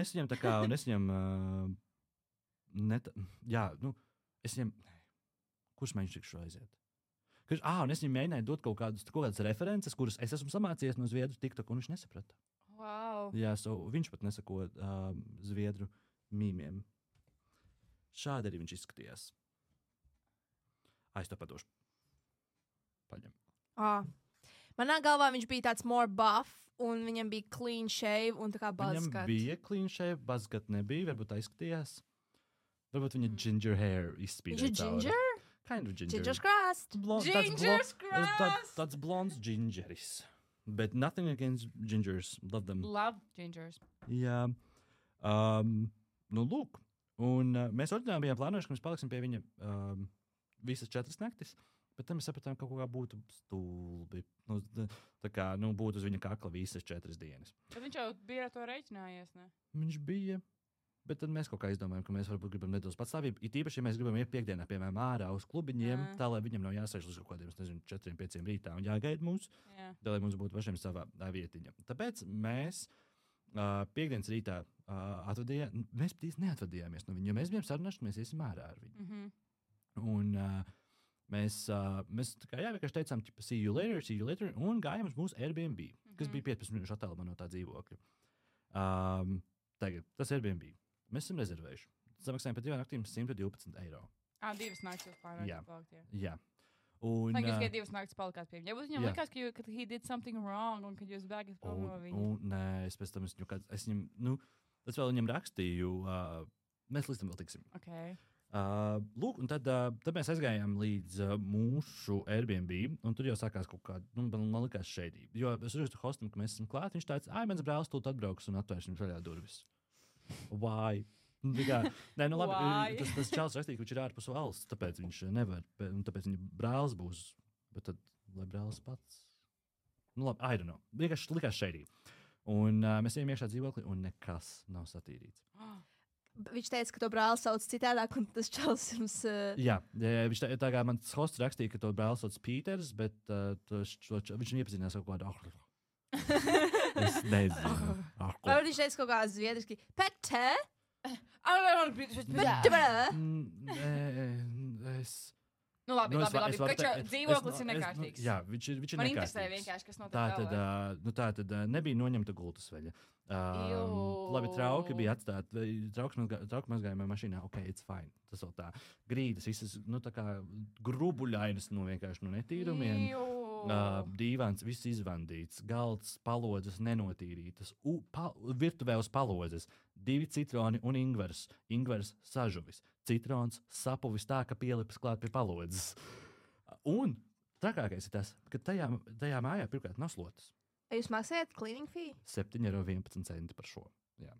S3: es viņam tā kā, es viņam, kurš mēģināšu tikšu aiziet? Un es viņam mēģināju dot kaut kādas references, kuras es esmu samācījies no Zviedru TikTok, un viņš nesaprata.
S2: Wow.
S3: Jā, viņš pat nesako Zviedru mīmiem. Šādi arī viņš izskatījās. Es to padošu. Paņem.
S1: Manā galvā viņš bija tāds more buff, un viņam bija clean shave un tā kā buzzcut.
S3: Viņam bija clean shave, buzzcut nebija, varbūt aizskatījās. Varbūt viņa ginger hair izspīdēja.
S1: Viņš ir ginger?
S3: Kind of ginger.
S1: Ginger's crust.
S2: Ginger's crust.
S3: Tāds blonds gingeris. But nothing against gingers. Love them.
S2: Love gingers.
S3: Jā. Lūk. Un mēs oriģināli bijām plānojuši, ka mēs paliksim pie viņa visas 4 naktis. Bet tam mēs sapratām, ka kaut kā būtu stulbi. Būtu uz viņa kakla visas 4 dienas.
S2: Bet viņš jau bija ar to reiķinājies, ne?
S3: Viņš bija. Bet tad mēs kaut kā izdomājām, ka mēs varbūt gribam nedaudz patstāvību. It īpaši, ja mēs gribam iet piekdienā, piemēram, ārā uz klubiņiem, tā, lai viņam nav jāsēž uz kaut kādiem, 4-5 rītā un jāgaida mūs, lai mums būtu pašiem savā vietiņa. Tāpēc mēs piekdienas rītā mēs neatvadījāmies no viņa, jo mēs bijām sarunājuši, ka mēs iesim ārā ar viņu. Un mēs vienkārši teicām, see you later, un gājām uz mūsu Airbnb, kas bija 15 minūšu attālumā no tā dzīvokļa. Tagad, tas Airbnb. Mēs esam rezervējuši. Samaksājām par 2 naktīm 112 eiro.
S2: 2 naktis jūs pārāk plaukt,
S3: jā. Un,
S2: jūs tikai 2 naktas palikāt pie viņa. Ja viņam likās, ka he did something wrong, un kad jūs bēgat prom no viņa.
S3: Nē, es pēc tam es vēl viņam rakstīju, mēs līdz tam vēl tiksim.
S2: Okay.
S3: Lūk, un tad mēs aizgājām līdz mūsu Airbnb, un tur jau sākās kaut kāda, man likās šeidība. Jo es uzrakstu hostam, ka mēs esam klāt, viņš tāds, mans brālis tūt atbrauks un atvērš viņam vaļā durvis. Why? Nē, labi, tas čels rakstīja, ka viņš ir ārpus valsts, tāpēc viņš nevar, un tāpēc viņa brālis būs, bet tad, lai brālis pats. Labi, I don't know. Vienkārši likās šeidība. Un mēs ejam iekšā dzīvoklī, un nekas nav satīrīts.
S1: Viņš teica, ka to brāli sauc citādāk, un tas čels jums...
S3: Jā, viņš tā kā mans hosts rakstīja, ka to brāli sauc Pīters, bet viņš iepazinās kaut kādu Es nezinu.
S1: Vai viņš teica kaut kā zviedriski? Pete?
S2: Labi, dzīvoklis ir nekārtīgs.
S3: Jā, viņš ir nekārtīgs.
S2: Man interesē vienkārši, kas notiek
S3: tā tad nebija noņemta gultas veļa. Labi, trauki bija atstāti. Trauki mazgājumā mašīnā. Ok, it's fine. Tas vēl tā. Grīdas visas, tā kā grubuļainas, vienkārši netīrumiem. Dīvāns, viss izvandīts, galds, palodzes nenotīrītas, virtuvē uz palodzes, 2 citroni un ingvers sažuvis, citrons sapuvis tā, ka pielipas klāt pie palodzes. Un trakākais ir tas, ka tajā mājā pirmkārt nav slotas.
S1: Jūs maksājat cleaning fee?
S3: 7,11 € par šo. Jā,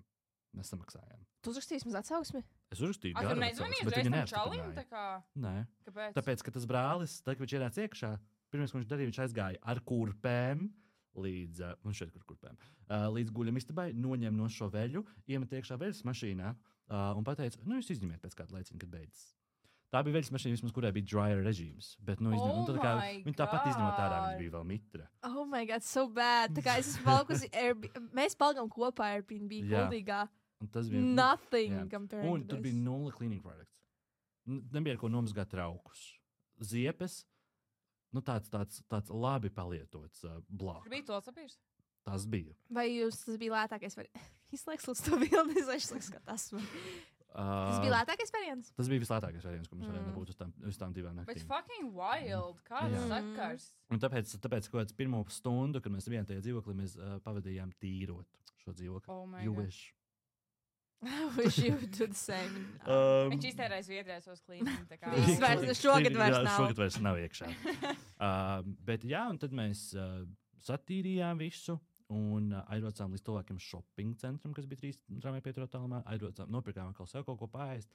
S3: mēs samaksājām.
S1: Tu uzrakstīji vismaz atsauksmi?
S3: Es uzrakstīju
S2: garu atsauksmi, bet viņa neapstiprināja.
S3: Nē.
S2: Kāpēc?
S3: Tāpēc, ka tas brālis, tad, kad viņš ienāca iekšā, pirmais, ko viņš darīja, viņš aizgāja ar kurpēm līdz guļamistabai, noņem no šo veļu, iemet iekšā veļas mašīnā un pateica, jūs izņemiet pēc kāda laicina, kad beidzas. Tā bija veļas mašīna, vismaz, kurai bija dryer režīms, bet viņa tāpat izņemot ārā, viņa bija vēl mitra.
S1: Oh my God, so bad. Tā kā es esmu palikusi mēs palikām kopā Airbnb kuldīgā. Nothing compared to this.
S3: Un tur bija 0 cleaning products. Nebija ar ko nomazgāt traukus. Ziepes. Tāds labi palietots blāks.
S2: Tur bija tos papīrs?
S3: Tas bija.
S1: Vai tas bija lētākais variants? Izslēgs līdz to bildi, izslēgs, ka tas man. Tas bija lētākais variants?
S3: Tas bija vislētākais variants, ko mēs varējām dabūt uz tām 2 naktīm.
S2: Bet fucking wild, kāds sakars.
S3: Un tāpēc kaut kāds pirmo stundu, kad mēs bijām tajā dzīvoklī, mēs pavadījām tīrot šo dzīvokli.
S2: Oh my
S3: you
S2: God.
S3: Wish.
S1: I wish you would do the same.
S2: Viņš iztērēja Zviedrijā savus klīnus.
S1: Šogad vairs nav.
S3: Šogad vairs nav iekšā. Bet jā, un tad mēs satīrījām visu un aizbraucām līdz tuvākiem shopping centram, kas bija 3 tramvaju tālumā. Nopirkām atkal sev kaut ko paēst.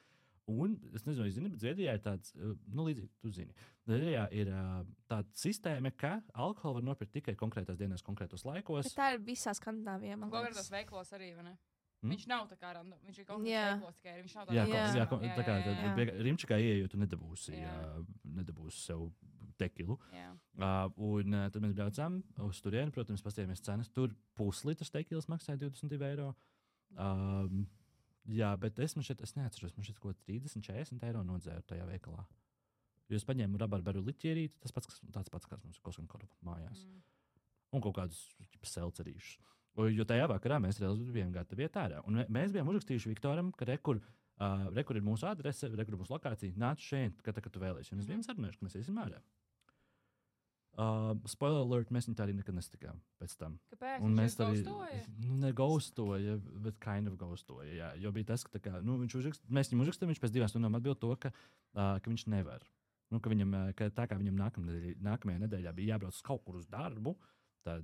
S3: Un es nezinu, bet Zviedrijā ir tāds, līdzīgi, tu zini. Zviedrijā ir tāda sistēma, ka alkoholu var nopirkt tikai konkrētās dienās, konkrētos laikos.
S1: Bet tā ir visā Skandināvijā, man liekas.
S2: Konkrētos veiklos arī, vai ne? Viņš nav tā kā random, viņš ir kaut kāds veiklos tikai, viņš nav
S3: tā kā Rimčikā ieejot, tu nedabūsi sev tekilu. Un tad mēs braucām uz turieni, protams, paskatījāmies cenas. Tur puslitrs tekilas maksāja 22 €. Jā, bet es neatceros, man šeit kaut ko 30-40 € nodzēru tajā veikalā. Jūs paņēmu rabarberu liķierīti, tāds pats, kāds mums ir Koskankoru mājās. Un kaut kādus selcerīšus. Jo tajā vakarā mēs bijām gatavi iet ārā. Un mēs bijām uzrakstījuši Viktoram, ka rekur ir mūsu adrese, rekur ir mūsu lokācija, nāc šeit, kad tu vēlies. Un mēs bijām sarunājuši, ka mēs iesim ārā. Spoiler alert, mēs viņu tā arī nekad nestikām pēc tam.
S2: Kāpēc?
S3: Un mēs
S2: arī
S3: negaustoja, bet kind of gaustoja. Jā, jo bija tas, ka mēs viņam uzrakstām, viņš pēc 2 stundām atbild to, ka viņš nevar. Ka tā kā viņam nākamajā nedēļā bija jābrauc kaut kur uz darbu, tad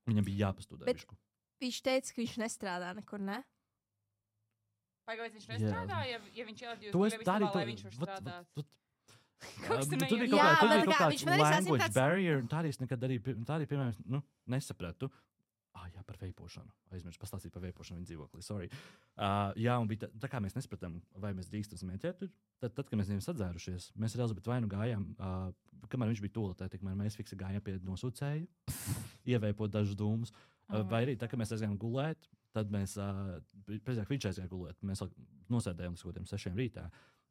S3: viņam bija jāpastudē višku.
S1: Viņš teica, ka viņš nestrādā nekur, ne?
S2: Pagaidzi, viņš nestrādā, ja viņš ielādīja uz Gulēvistabā, lai viņš var strādāt.
S3: Tur bija kaut kāds language barrier, un tā arī es nekad piemēram, nesapratu. Jā, par veipošanu. Aizmirsu pastāstīt par veipošanu viņa dzīvoklī, sorry. Jā, un bija tā kā mēs nesapratām, vai mēs drīkstam smēķēt tur. Tad, kad mēs viņiem sadzērušies, mēs ar Elzabetu vai nu gājām, kamēr viņš bija toaletē, tikmēr mēs fiksi gājām pie nosūcēju, ieveipot dažus dūmus. Vai arī tā, kad mēs aizgājām gulēt, tad mēs, pēcāk viņš aizgāja gulēt, mēs nosēdējām līdz kaut 6 rītā,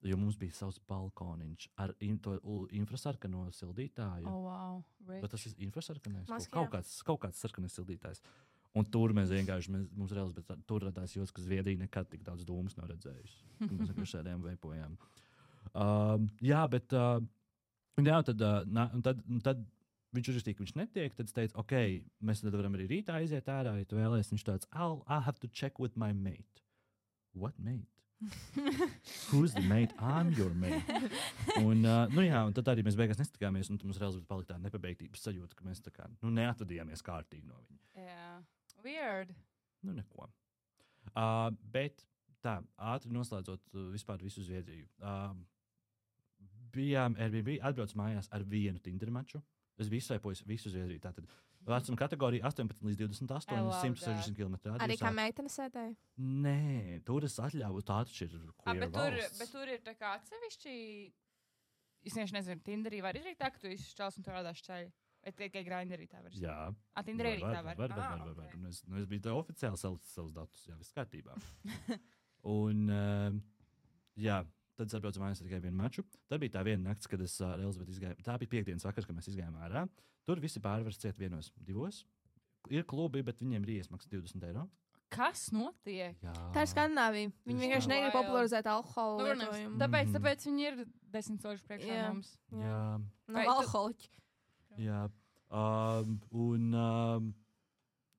S3: jo mums bija savs balkoniņš ar infrasarkano sildītāju.
S2: Oh, wow.
S3: Bet tas ir infrasarkanais? Kaut kāds sarkanais sildītājs. Un tur mēs vienkārši, mums reāls, bet tur radās jūs, ka Zviedrija nekad tik daudz dūmus nav redzējusi. Mēs vienkārši sēdējām, veipojām. Jā, bet Jā, tad viņš uzrakstīja, ka viņš netiek. Tad es teicu, ok, mēs tad varam arī rītā aiziet ārā, ja tu vēlēsies. Viņš tāds, I'll have to check with my mate. What mate? Who's the mate? I'm your mate. Un tad arī mēs beigās nestikāmies, un mums reāli palika tā nepabeigtības sajūta, ka mēs tā kā neatvadījāmies kārtīgi no viņa.
S2: Jā, weird.
S3: Neko. Bet tā, ātri noslēdzot vispār visu Zviedriju. Bijām Airbnb, atbrauc mājās ar vienu Tinder maču. Es visaipoju visu Zviedriju. Tātad vecuma kategorija 18 līdz 28, 160 km.
S1: Arī kā meitene sēdēja?
S3: Nē, tur es atļauju, tā taču ir queer valsts.
S2: Bet tur ir tā kā atsevišķi, es nezinu, Tinderī var izdarīt tā, ka tu izšķels un tu rādās ceļu. Vai tikai Grindrī tā var izdarīt?
S3: Jā.
S2: Tinderī arī tā var.
S3: Var. Es biju tā oficiāli savus datus, jā, viss kārtībā. Un, jā. Tad es atbraucu mājās tikai vienu maču. Tad bija tā viena nakts, kad es ar Elizabeti izgāju. Tā bija piekdienas vakars, kad mēs izgājām ārā. Tur visi pārvars ciet vienos, divos. Ir klubi, bet viņiem ir iesmaksas 20 eiro.
S2: Kas notiek?
S3: Jā.
S1: Tā ir Skandināvija. Viņi vienkārši negrib popularizēt alkoholu lietojumu.
S2: Tāpēc viņi ir 10 soļus priekšā mums.
S3: Jā.
S1: No alkoholiķi.
S3: Jā.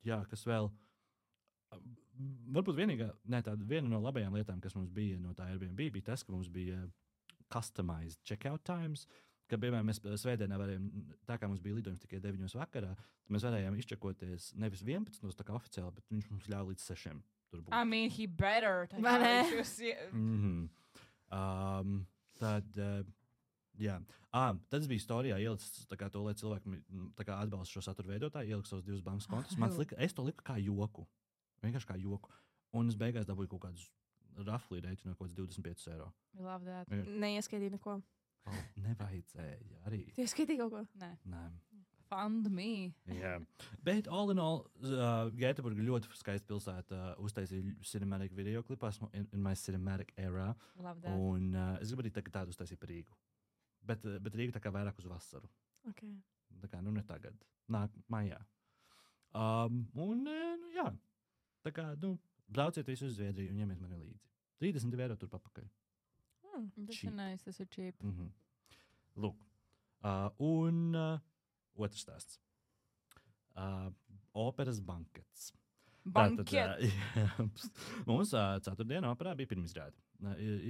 S3: Jā, kas vēl? Varbūt viena no labajām lietām, kas mums bija no tā Airbnb, bija tas, ka mums bija customized checkout times. Kad, piemēram, mēs svētdienā varējām, tā kā mums bija lidojums tikai 9 vakarā, tad mēs varējām izčekoties nevis 11, tā kā oficiāli, bet viņš mums ļauj līdz 6 tur būt.
S2: I mean, he better.
S3: Tad, jā. Tad es biju storijā ielicis to, lai cilvēki atbalsta šo satura veidotāju, ieliku savus 2 bankas kontus. Es to liku kā joku. Vienkārši kā joku. Un es beigās dabūju kaut kādus raflī rēķinu no kaut kāds 25 eiro.
S1: Neieskaitīju neko.
S3: Nevajadzēja arī.
S1: Tu ieskaitīji kaut ko?
S2: Nē. Fund me.
S3: Jā. Bet all in all, Gēteburga ļoti skaista pilsēta, uztaisīja cinematic video klipu, esmu in my cinematic era. Un es gribu arī tādu uztaisīt par Rīgu. Bet Rīga tā kā vairāk uz vasaru.
S1: Okay.
S3: Tā kā, ne tagad. Nāk mājā. Jā. Tā kā, brauciet visu uz Zviedriju un ņemiet mani līdzi. 32 eiro tur papakaļ.
S2: Tas ir nice, tas ir cheap.
S3: Lūk. Un otrs stāsts. Operas bankets. Mums ceturtdienā operā bija pirmizrāde.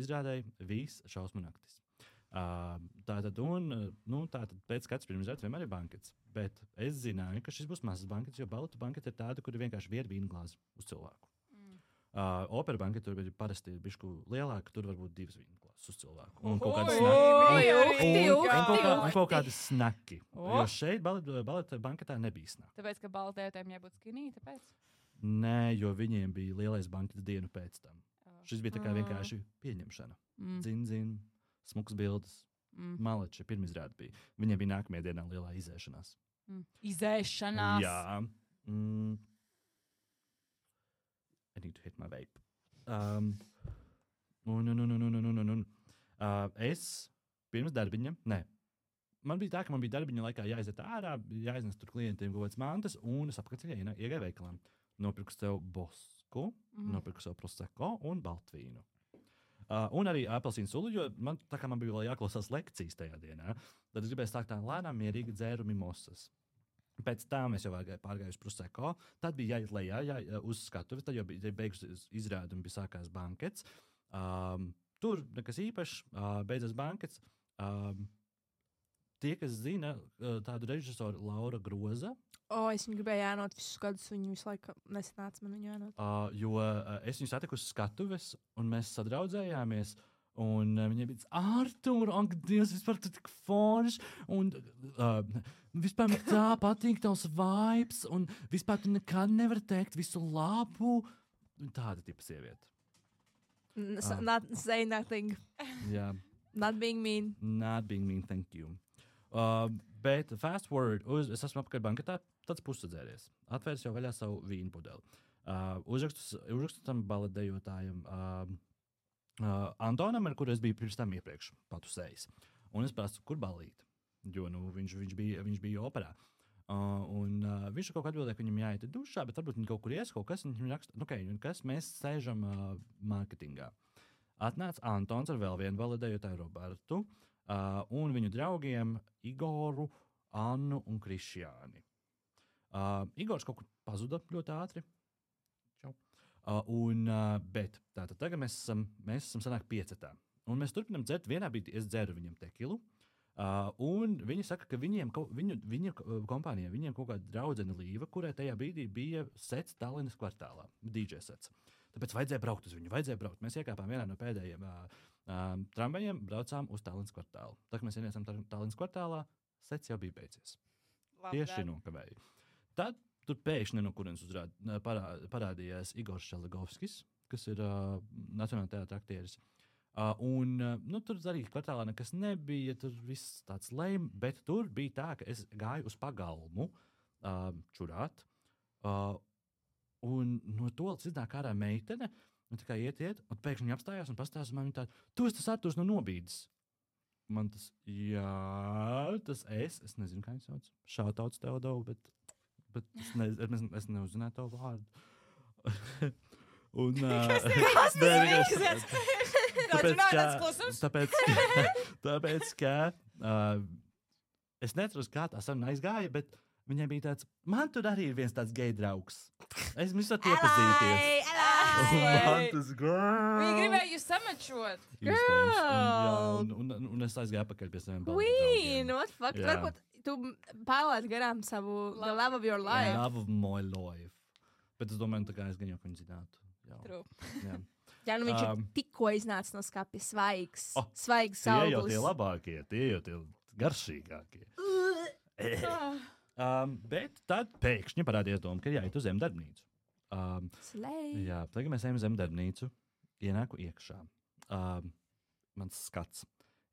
S3: Izrādēja viss šausmu naktis. Tātad pēc katras pirmizrādes vienmēr ir bankets. Bet es zināju, ka šis būs mazs bankets, jo baletu bankets ir tāda, kur ir vienkārši viena vīna glāze uz cilvēku. Opera bankets tur ir parasti bišku lielāka, tur var būt 2 vīna glāzes uz cilvēku. Un kaut kādi snaki. Jo šeit baleta banketā nebija snaki.
S2: Tāpēc, ka baletētājiem jābūt skinī, tāpēc?
S3: Nē, jo viņiem bija lielais bankets dienu pēc tam. Šis bija tā kā vienkārši pieņemšana. Zin, smuks bildes. Maleči, pirmizrāde bija. Viņiem bija nākamajā dienā lielā izēšanās.
S2: Izēšanās?
S3: Jā. I need to hit my vape. Es pirms darbiņa, man bija tā, ka man bija darbiņa laikā jāiziet ārā, jāiznes tur klientiem kaut kāds mantas, un es apakaļceļā iegāju veikalā. Nopirku sev bosku, nopirku sev prosecco un baltvīnu. Un arī apelsīnu sulu, jo man bija vēl jāklausās lekcijas tajā dienā. Tad es gribēju sākt tā lēnām, mierīgi dzēru mimosas. Pēc tam es jau pārgāju uz prosecco. Tad bija jāiet lejā uz skatuves, tad jau bija beigusies izrāde un bija sākās bankets. Tur nekas īpašs, beidzas bankets. Tie, kas zina tādu režisoru Laura Groza.
S1: Es viņu gribēju ēnot visus gadus, viņu visu laiku nesanāca man viņu ēnot.
S3: Jo es viņu satiku uz skatuves, un mēs sadraudzējāmies. Un viņai bija Artur, ak, Dievs, vispār tu tik foršs, un vispār man tā patīk tavs vibes, un vispār tu nekad nevari teikt visu labu. Tāda tipa sieviete.
S1: Not say nothing.
S3: Jā.
S1: Not being mean.
S3: Not being mean, thank you. Bet fast forward, es esmu apkārt banketā, tāds pusadzēries. Atvērs jau vaļā savu vīnu pudeli. Uzrakstu tam baletdejotājam, Antonam, ar kuru es biju pirms tam iepriekš patusējis. Un es prasu, kur balīt, jo viņš bija operā. Viņš kaut kā atbildēja, ka viņam jāiet dušā, bet varbūt viņi kaut kur ies, kaut kas, viņam raksta, mēs sēžam mārketingā. Atnāca Antons ar vēl vienu validējotāju Robertu. un viņu draugiem Igoru, Annu un Krišjāni. Igors kaut kur pazuda ļoti ātri. Bet tātad tagad mēs esam sanāk 5. Un mēs turpinām dzert. Vienā brīdī es dzeru viņam tekilu. Un viņi saka, ka viņa kompānijā viņiem kaut kāda draudzene Līva, kurai tajā brīdī bija sets Tallinas kvartālā, DJ sets. Tāpēc vajadzēja braukt uz viņu, Mēs iekāpām vienā no pēdējiem tramvajiem, braucām uz Tallinas kvartālu. Tā kā mēs ienācām Tallinas kvartālā, sets jau bija beidzies. Tieši nokavēja. Tad tur pēkšņi no kurienes parādījās Igors Šelegovskis, kas ir Nacionālā teātra aktieris. Tur arī kvartālā nekas nebija, tur viss tāds lejm, bet tur bija tā, ka es gāju uz pagalmu čurāt, un no toaletes iznāk ārā meitene, un tā kā iet, un pēkšņi apstājās un pastāsta man tā, tu esi tas Arturs no Nobīdes. Man tas, tas es nezinu, kā viņš sauc, šautauts Teodovu, bet es neuzzināju tavu vārdu. Un, tāpēc, ka es neatceros, kā tā saruna aizgāja, bet viņai bija tāds, man tur arī ir viens tāds gej draugs. Es mums varu iepazīties. Man tas
S2: Viņi gribēja jūs samačot.
S3: Un es aizgāju apakaļ pie saviem
S1: Queen, what fuck? Varbūt tu pārlaid garām savu the love of your life.
S3: Love of my life. Bet es domāju, tā kā es gan jau viņu zinātu.
S2: True.
S1: Jā, viņš ir tikko iznācis no skapja svaigs auglis.
S3: Tie labākie, tie jau tie garšīgākie. Bet tad pēkšņi parādījās doma, ka jāiet uz zemdarbnīcu. Jā, tagad mēs ejam uz zemdarbnīcu, ienāku iekšā. Mans skats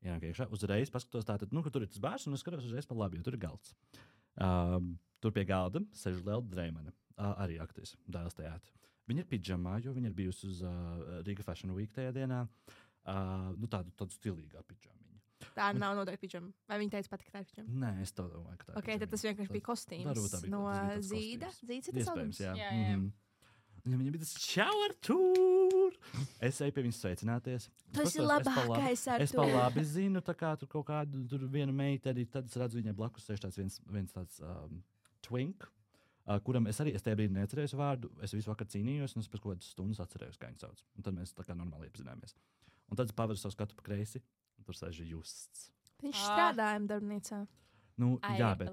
S3: ienāk iekšā, uzreiz paskatos tātad, ka tur ir tas bārs, un es skatos uzreiz pa labi, jo tur ir galds. Tur pie galda sēž Lelda Dreimane, arī aktris, Dēls teātri. Viņa ir pidžamā, jo viņa ir bijusi uz Riga Fashion Week tajā dienā. Tādu stilīgā pidžamiņa.
S1: Tā nav noteikti pidžama. Vai viņa teica pati, ka tā ir pidžama?
S3: Nē, es to domāju, ka tā ir.
S1: Ok, tad tas vienkārši bija kostīms no Zīda. Zīds ir tas
S3: albums? Jā.
S1: Viņa
S3: bija tas čau, Artūr! Es eju pie viņas sveicināties.
S1: Tas ir labākais, Artūr.
S3: Es pa labi zinu, tā kā tur kaut kādu vienu meiteni, tad es redzu viņai blakus sēž tāds viens tāds twink. Kuram es tajā brīdī neatcerējos vārdu, es visu vakaru cīnījos, un es pēc kaut kādas stundas atcerējos, kā viņu sauc. Un tad mēs tā kā normāli iepazināmies. Un tad es paveru savu skatu pa kreisi, un tur sēž Justs.
S1: Viņš strādāja darbnīcā.
S3: Jā, bet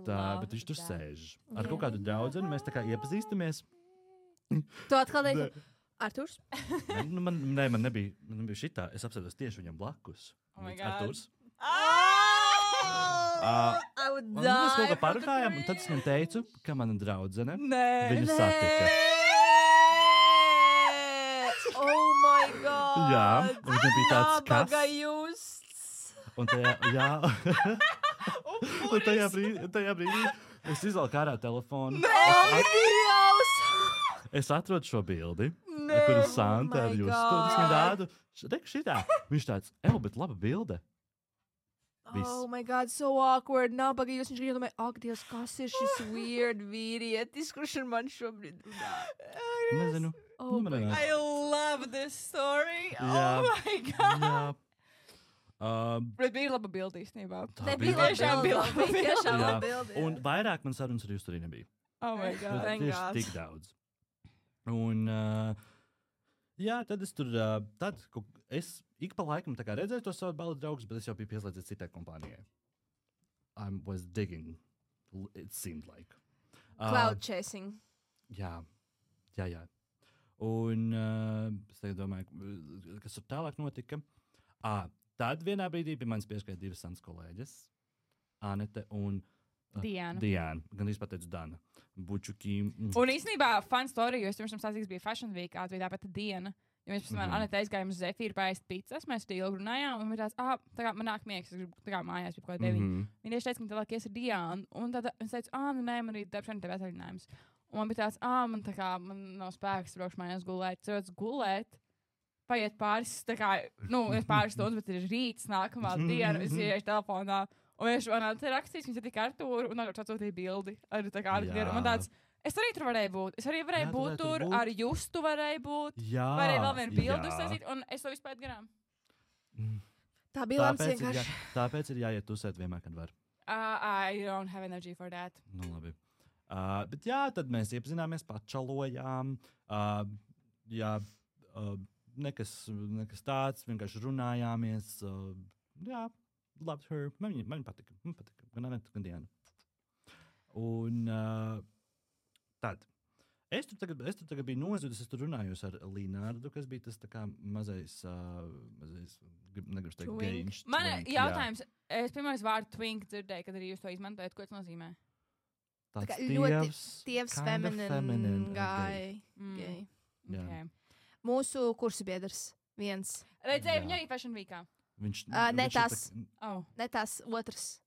S3: viņš tur sēž. Ar kaut kādu draudzeni mēs tā kā iepazīstamies.
S1: Tu atkal teici, Arturs?
S3: Man nebija šitā, es apsēdos tieši viņam blakus.
S2: Oh my God.
S3: Arturs.
S1: I would die.
S3: Mēs kaut kā parunājām, un tad es viņam teicu, ka mana draudzene viņu
S1: Nē.
S3: satika.
S1: Oh my God.
S3: Jā, un viņam bija tāds
S1: Nabaga Justs.
S3: Un tajā brīdī es izvelku ārā telefonu. Es atrodu šo bildi, kuru Santa ar Justu. Es viņu rādu, šitā. Viņš tāds, bet laba bilde.
S1: Oh my God, so awkward. Nabaga Justs. Viņš domāja, ak, Dievs, kas ir šis weird vīrietis, kurš ar man šobrīd runā?
S3: Nezinu.
S2: I love this story.
S3: Jā.
S2: Oh my God.
S3: Jā.
S2: Bet bija laba bilde īstenībā.
S1: Tā bija tiešām laba bilde.
S3: Un vairāk man sarunas ar Justu arī nebija.
S2: Oh my God.
S1: Thank
S3: Tieši
S1: God.
S3: tik daudz. Un, tad es tur, es ik pa laikam tā kā redzēju to savu baldu draugus, bet es jau biju pieslēdzies citai kompānijai. I was digging, it seemed like.
S1: Cloud chasing.
S3: Jā. Un es tagad domāju, kas tur tālāk notika. Tad vienā brīdī pie manis pieskrēja divas Sans kolēģes, Anete un Diana. Gan izpateicu Dana. Bučukim.
S2: Un īstenībā fun story, jo es pirms tam stāstīju, bija Fashion Week, bija tāpat Diana. Jo mēs pirms Anete aizgājām uz Zefīru pārēst pizzas, mēs tur ilgi runājām, un bija tāds, tā kā man nāk miegs, es gribu tā kā mājās, bija kaut kā 9. Viņa tieši teica, ka tālāk ies ar Dianu, un tad es teicu, nē, man arī darbšana tev atvaļinājums. Un man bija tāds, man nav spēks braukšu mājās gulēt, cilvēks gulēt, paiet pāris stundas, bet ir rīts nākamā diena, es ieiešu telefonā, un viņš man rakstīs, viņš ir tik Artūru, un viņš atsūtīja bildi ar tā kā Artūru. Man tāds, es arī tur varēju būt. Es arī varēju būt tur, ar Justu varēju būt.
S3: Jā.
S2: Varēju vēl vienu bildi uztaisīt, un es to vispār garām.
S1: Tā bija lemts vienkārši.
S3: Tāpēc ir jāiet tusēt vienmēr, kad var.
S2: I don't have energy for that.
S3: Nu, labi. Bet jā, tad mēs iepazināmies, pačalojām. Nekas tāds, vienkārši runājāmies. Jā, loved her. Man patika. Gan Aneta, gan Diana. Un tad. Es tur tagad biju nozudis, es tur runājos ar Linārdu, kas bija tas tā kā mazais negribas teikt, geiņš.
S2: Man jautājums, es pirmais vārdu twink dzirdēju, kad arī jūs to izmantojat, ko tas nozīmē?
S3: Tāds
S1: ļoti tievs, feminine guy.
S2: Gay. Okay.
S1: Mūsu kursabiedrs viens.
S2: Redzēju viņu arī Fashion Weekā.
S1: Ne tas otrs.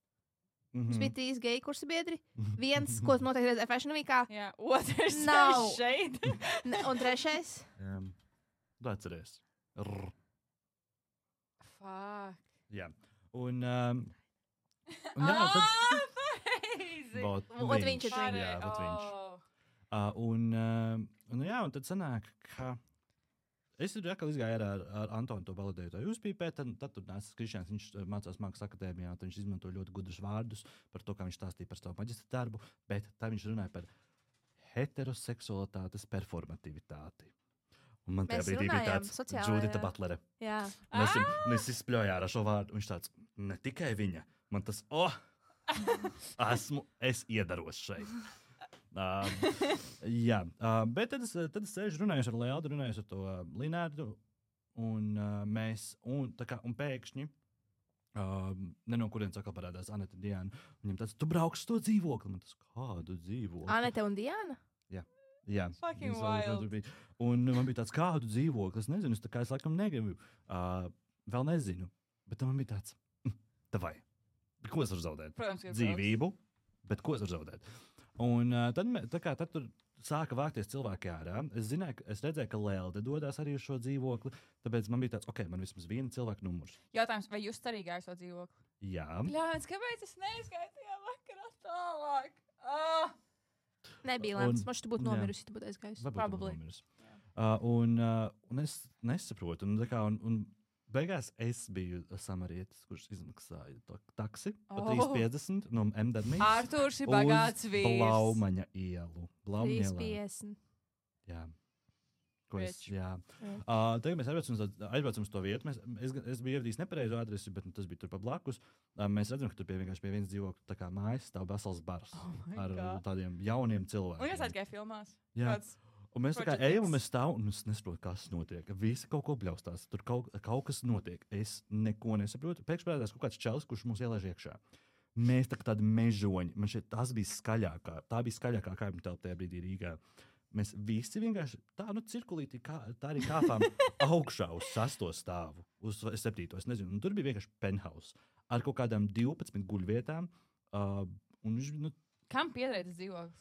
S1: Mums bija 3 geju kursabiedri. Viens, ko noteikti redzēja Fashion Weekā.
S2: Jā, otrs
S1: nav
S2: šeit.
S1: Un trešais?
S3: Tu atceries.
S2: Fuck.
S3: Jā. Un
S1: viņš ir
S3: viņš. Jā, un tad sanāk, ka es tur atkal izgāju ar Antonu to validēju to uzpīpēt, tad tur nāca Krišjāns, viņš mācās Mākslas akadēmijā, tad viņš izmanto ļoti gudrus vārdus par to, kā viņš stāstīja par savu maģistra darbu, bet tā viņš runāja par heteroseksualitātes performativitāti. Un man tajā brīdī bija tāds Judita Butlere.
S1: Jā.
S3: Mēs izspļojām ar šo vārdu, viņš tāds, ne tikai viņa, man tas, es iedaros šeit. Jā, bet tad es sēžu runājos ar Lealdu, runājos ar to Linārdu, un pēkšņi, ne no kurienes atkal parādās Aneta un Diana, viņam tāds, tu brauks to dzīvokli, man tas, kādu dzīvokli?
S1: Aneta un Diana?
S3: Jā.
S2: Fucking wild.
S3: Un man bija tāds, kādu dzīvokli, es nezinu, es laikam negribu, vēl nezinu, bet man bija tāds, davai, ko es varu zaudēt?
S2: Protams,
S3: dzīvību, bet ko es varu zaudēt? Un tad tur sāka vākties cilvēki ārā. Es redzēju, ka Lelde dodas arī uz šo dzīvokli, tāpēc man bija tāds, man vismaz viena cilvēka numurs.
S2: Jautājums, vai jūs arī gājāt šo dzīvokli?
S3: Jā.
S2: Bļāns, kāpēc es neizgāju tajā vakarā tālāk?
S1: Nebija lemts, man šķiet būtu nomirusi, tu būtu aizgājusi.
S3: Probably. Un es nesaprotu, un beigās es biju samarietis, kurš izmaksāja taksi pa 3,50 no MDMI.
S2: Artūrs ir bagāts vīrs.
S3: Uz Blaumaņa ielu.
S1: 3,50.
S3: Jā. Tagad mēs aizbraucam uz to vietu. Es biju ievedījis nepareizu adresi, bet tas bija tur pa blakus. Mēs redzam, ka tur vienkārši pie vienas dzīvokļa tā kā mājas stāv vesels bars ar tādiem jauniem cilvēkiem.
S2: Un jūs aizgāja filmās?
S3: Jā. Un mēs tā kā ejam, un mēs stāvam, un es nesaprotu, kas notiek. Visi kaut ko bļaustās. Tur kaut kas notiek. Es neko nesaprotu. Pēkšņi parādās kaut kāds čalis, kurš mūs ielaiž iekšā. Mēs tā kā tādi mežoņi. Man šeit tas bija skaļākā. Tā bija skaļākā kaimiņu telpa tajā brīdī Rīgā. Mēs visi vienkārši tā, cirkulītī, tā arī kāpām augšā uz 6. stāvu, uz 7. Es nezinu. Un tur bija vienkārši penthouse ar kaut kādām 12 guļvietām.
S2: Kam piederēja tas dzīvoklis?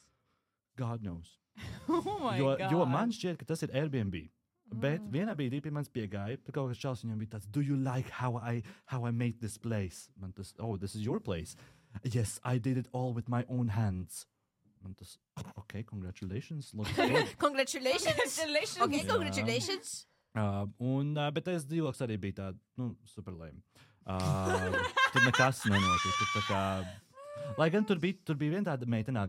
S3: God knows.
S2: God.
S3: Jo man šķiet, ka tas ir Airbnb. Bet vienā brīdī pie manis piegāja, pie kaut kāds čals viņam bija tāds, do you like how I made this place? Man tas, this is your place. Yes, I did it all with my own hands. Man tas, congratulations.
S1: Congratulations. Congratulations.
S3: Bet tas dzīvoklis arī bija tāda, super lame. Tur nekas nenotika. Tā kā, lai gan tur bija viena tāda meitene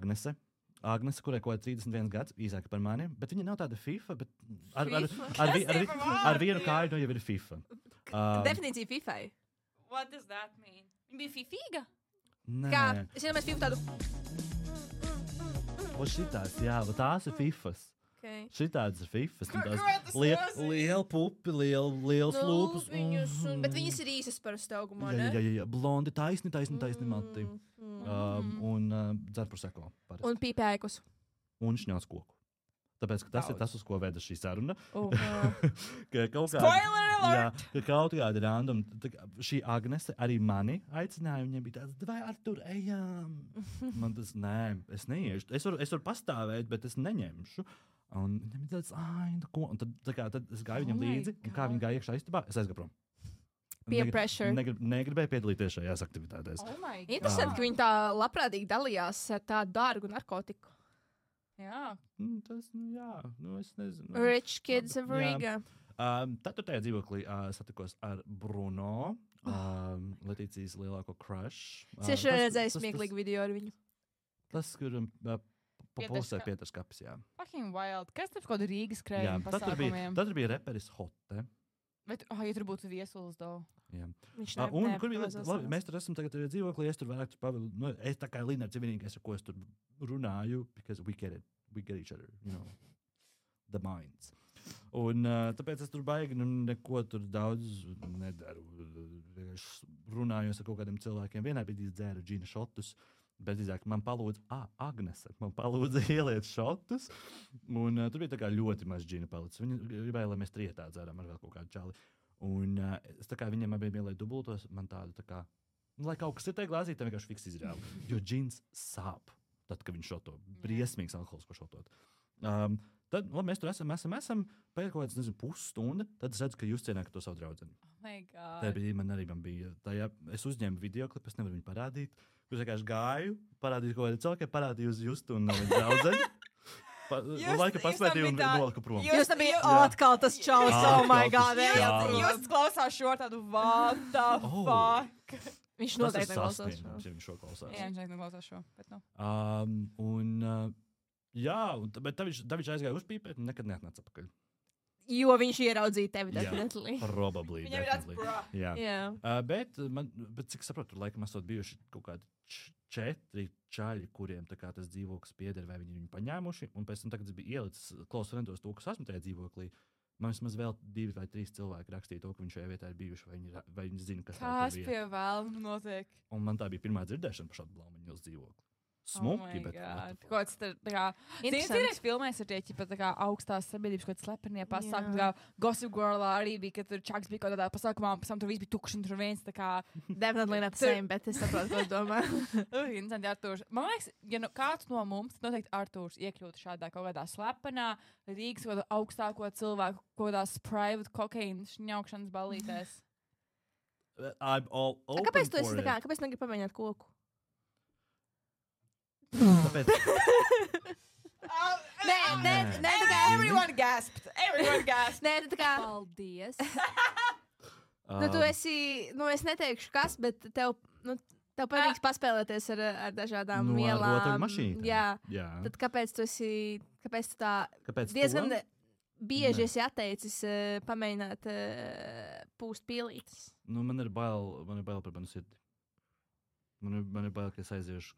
S3: Agnese, kurai kaut kāda 31 gads, īsāka par mani, bet viņa nav tāda FIFA, bet ar vienu kāju jau ir FIFA.
S1: Definīcija FIFai.
S2: What does that mean? Viņa bija fifīga?
S3: Nē.
S1: Kā? Es iedomājos FIFA tādu.
S3: Šitās, jā, tās ir FIFas.
S1: Okay.
S3: Šitādas ir FIFas. Liela pupi, liels lūpas.
S1: Bet viņas ir īsas par staugumā, ne?
S3: Jā. Blondi, taisni mati. Un dzer proseko.
S1: Un pīpēkus.
S3: Un šņās koku. Tāpēc, ka tas ir tas, uz ko veda šī saruna.
S2: Spoiler alert!
S3: Ka kaut kāda random, šī Agnese arī mani aicināja, viņai bija tāds, vai Artur, ejām. Man tas, nē, es neiešu. Es varu pastāvēt, bet es neņemšu. Un viņam bija tāds, ko? Un tad es gāju viņam līdzi, un kā viņi gāja iekšā istabā, es aizgāju prom.
S1: Peer pressure.
S3: Negribēju piedalīties šajās aktivitātēs.
S1: Interesanti, ka viņi tā labprātīgi dalījās ar tādu dārgu narkotiku.
S2: Jā.
S3: Tas, es nezinu.
S1: Rich kids of Riga.
S3: Tad tajā dzīvoklī satikos ar Bruno, Letīcijas lielāko crush.
S1: Es redzēju smieklīgu video ar viņu.
S3: Tas, kur populsē Pieters Kapis, jā.
S2: Fucking wild. Kas tur kaut Rīgas krējuma pasākumiem?
S3: Tad bija reperis Hotte.
S2: Bet, ja tur būtu viesulis, daudz.
S3: Jā. Un kur bija, labi, mēs tur esam tagad dzīvoklī, es tur vairāk pavildu, es tā kā Linards ir vienīgais, ar ko es tur runāju, because we get it, we get each other, you know, the minds. Un tāpēc es tur baigi, neko tur daudz nedaru. Runājos ar kaut kādiem cilvēkiem, vienā brīdī dzēru džina šotus, bet drīzāk man palūdza, Agnese, man palūdza ieliet šotus, un tur bija tā kā ļoti maz džina palicis. Viņi gribēja, lai mēs trietā dzērām ar vēl kaut kādu čali. Un es tā kā viņiem abiem ielēju dubultos, man tādu tā kā, lai kaut kas ir tajā glāzītē, vienkārši fiks izrāvu. Jo džins sāp, tad, kad viņš šoto. Briesmīgs alkohols, ko šotot. Tad, labi, mēs tur esam pēc kaut kāds, nezinu, pusstunda, tad es redzu, ka jūs cienāt to savu draudzeni.
S2: Oh my God.
S3: Tā bija, man bija, es uzņēmu videoklipu, es nevaru viņu parādīt. Jūs vienkārši gāju, parādīju kaut kādu cilvēku, parādīju uz Justu un viņa draudzeni. Laika paspētīju un noliku prom.
S1: Jūs tam bija atkal tas čaus, oh my God.
S2: Jūs klausās šo tādu, what the fuck?
S1: Viņš noteikti neklausās šo.
S3: Viņš šo klausās.
S2: Jā, viņš neklausās šo, bet nu.
S3: Jā, bet tad viņš aizgāja uzpīpēt un nekad neatnāca atpakaļ.
S1: Jo viņš ieraudzīja tevi, definitely.
S3: Probably, definitely.
S1: Jā.
S3: Bet cik saprotu, tur laikam esot bijuši kaut kādi 4 čaļi, kuriem tā kā tas dzīvoklis pieder, vai viņi viņu paņēmuši, un pēc tam tagad es biju ielicis close friendos to, kas esmu tajā dzīvoklī. Man vismaz vēl 2 vai 3 cilvēki rakstīja to, ka viņš šajā vietā ir bijuši, vai viņi zina, kas tā ir.
S2: Kas pie vēlmu notiek?
S3: Un man tā bija pirmā dzirdēšana par šādu blaumiņu uz dzīvokli. Smuki, bet
S2: kāds tā kā interesants filmēs ar tie ķipa tā kā augstās sabiedrības kaut slepenie pasākumi, kā Gossip Girlā arī bija, ka tur Čaks bija kaut kādā pasākumā, pēc tam tur viss bija tukšs un tur viens tā kā
S1: definitely not the same, bet es saprotu, ko domā.
S2: Interesanti Artūrs. Man liekas, ja kāds no mums, noteikti Artūrs iekļūtu šādā kaut kādā slepenā Rīgas kaut kādā augstāko cilvēku kaut kādās private cocaine šņaukšanas ballītēs.
S3: I'm all open
S1: kāpēc tu
S3: for
S1: esi
S3: it.
S1: tā kā, kāpēc negribi pamēģināt koku?
S3: Tāpēc...
S1: Nē, tā kā
S2: Everyone gasped.
S1: Nē, tā kā paldies. Tu esi, es neteikšu kas, bet tev patīk paspēlēties ar dažādām vielām.
S3: Rotaļmašīnām.
S1: Jā. Tad kāpēc tu tā diezgan bieži esi atteicis pamēģināt pūst pīlītes?
S3: Man ir bail par manu sirdi. Man ir bail, ka es aiziešu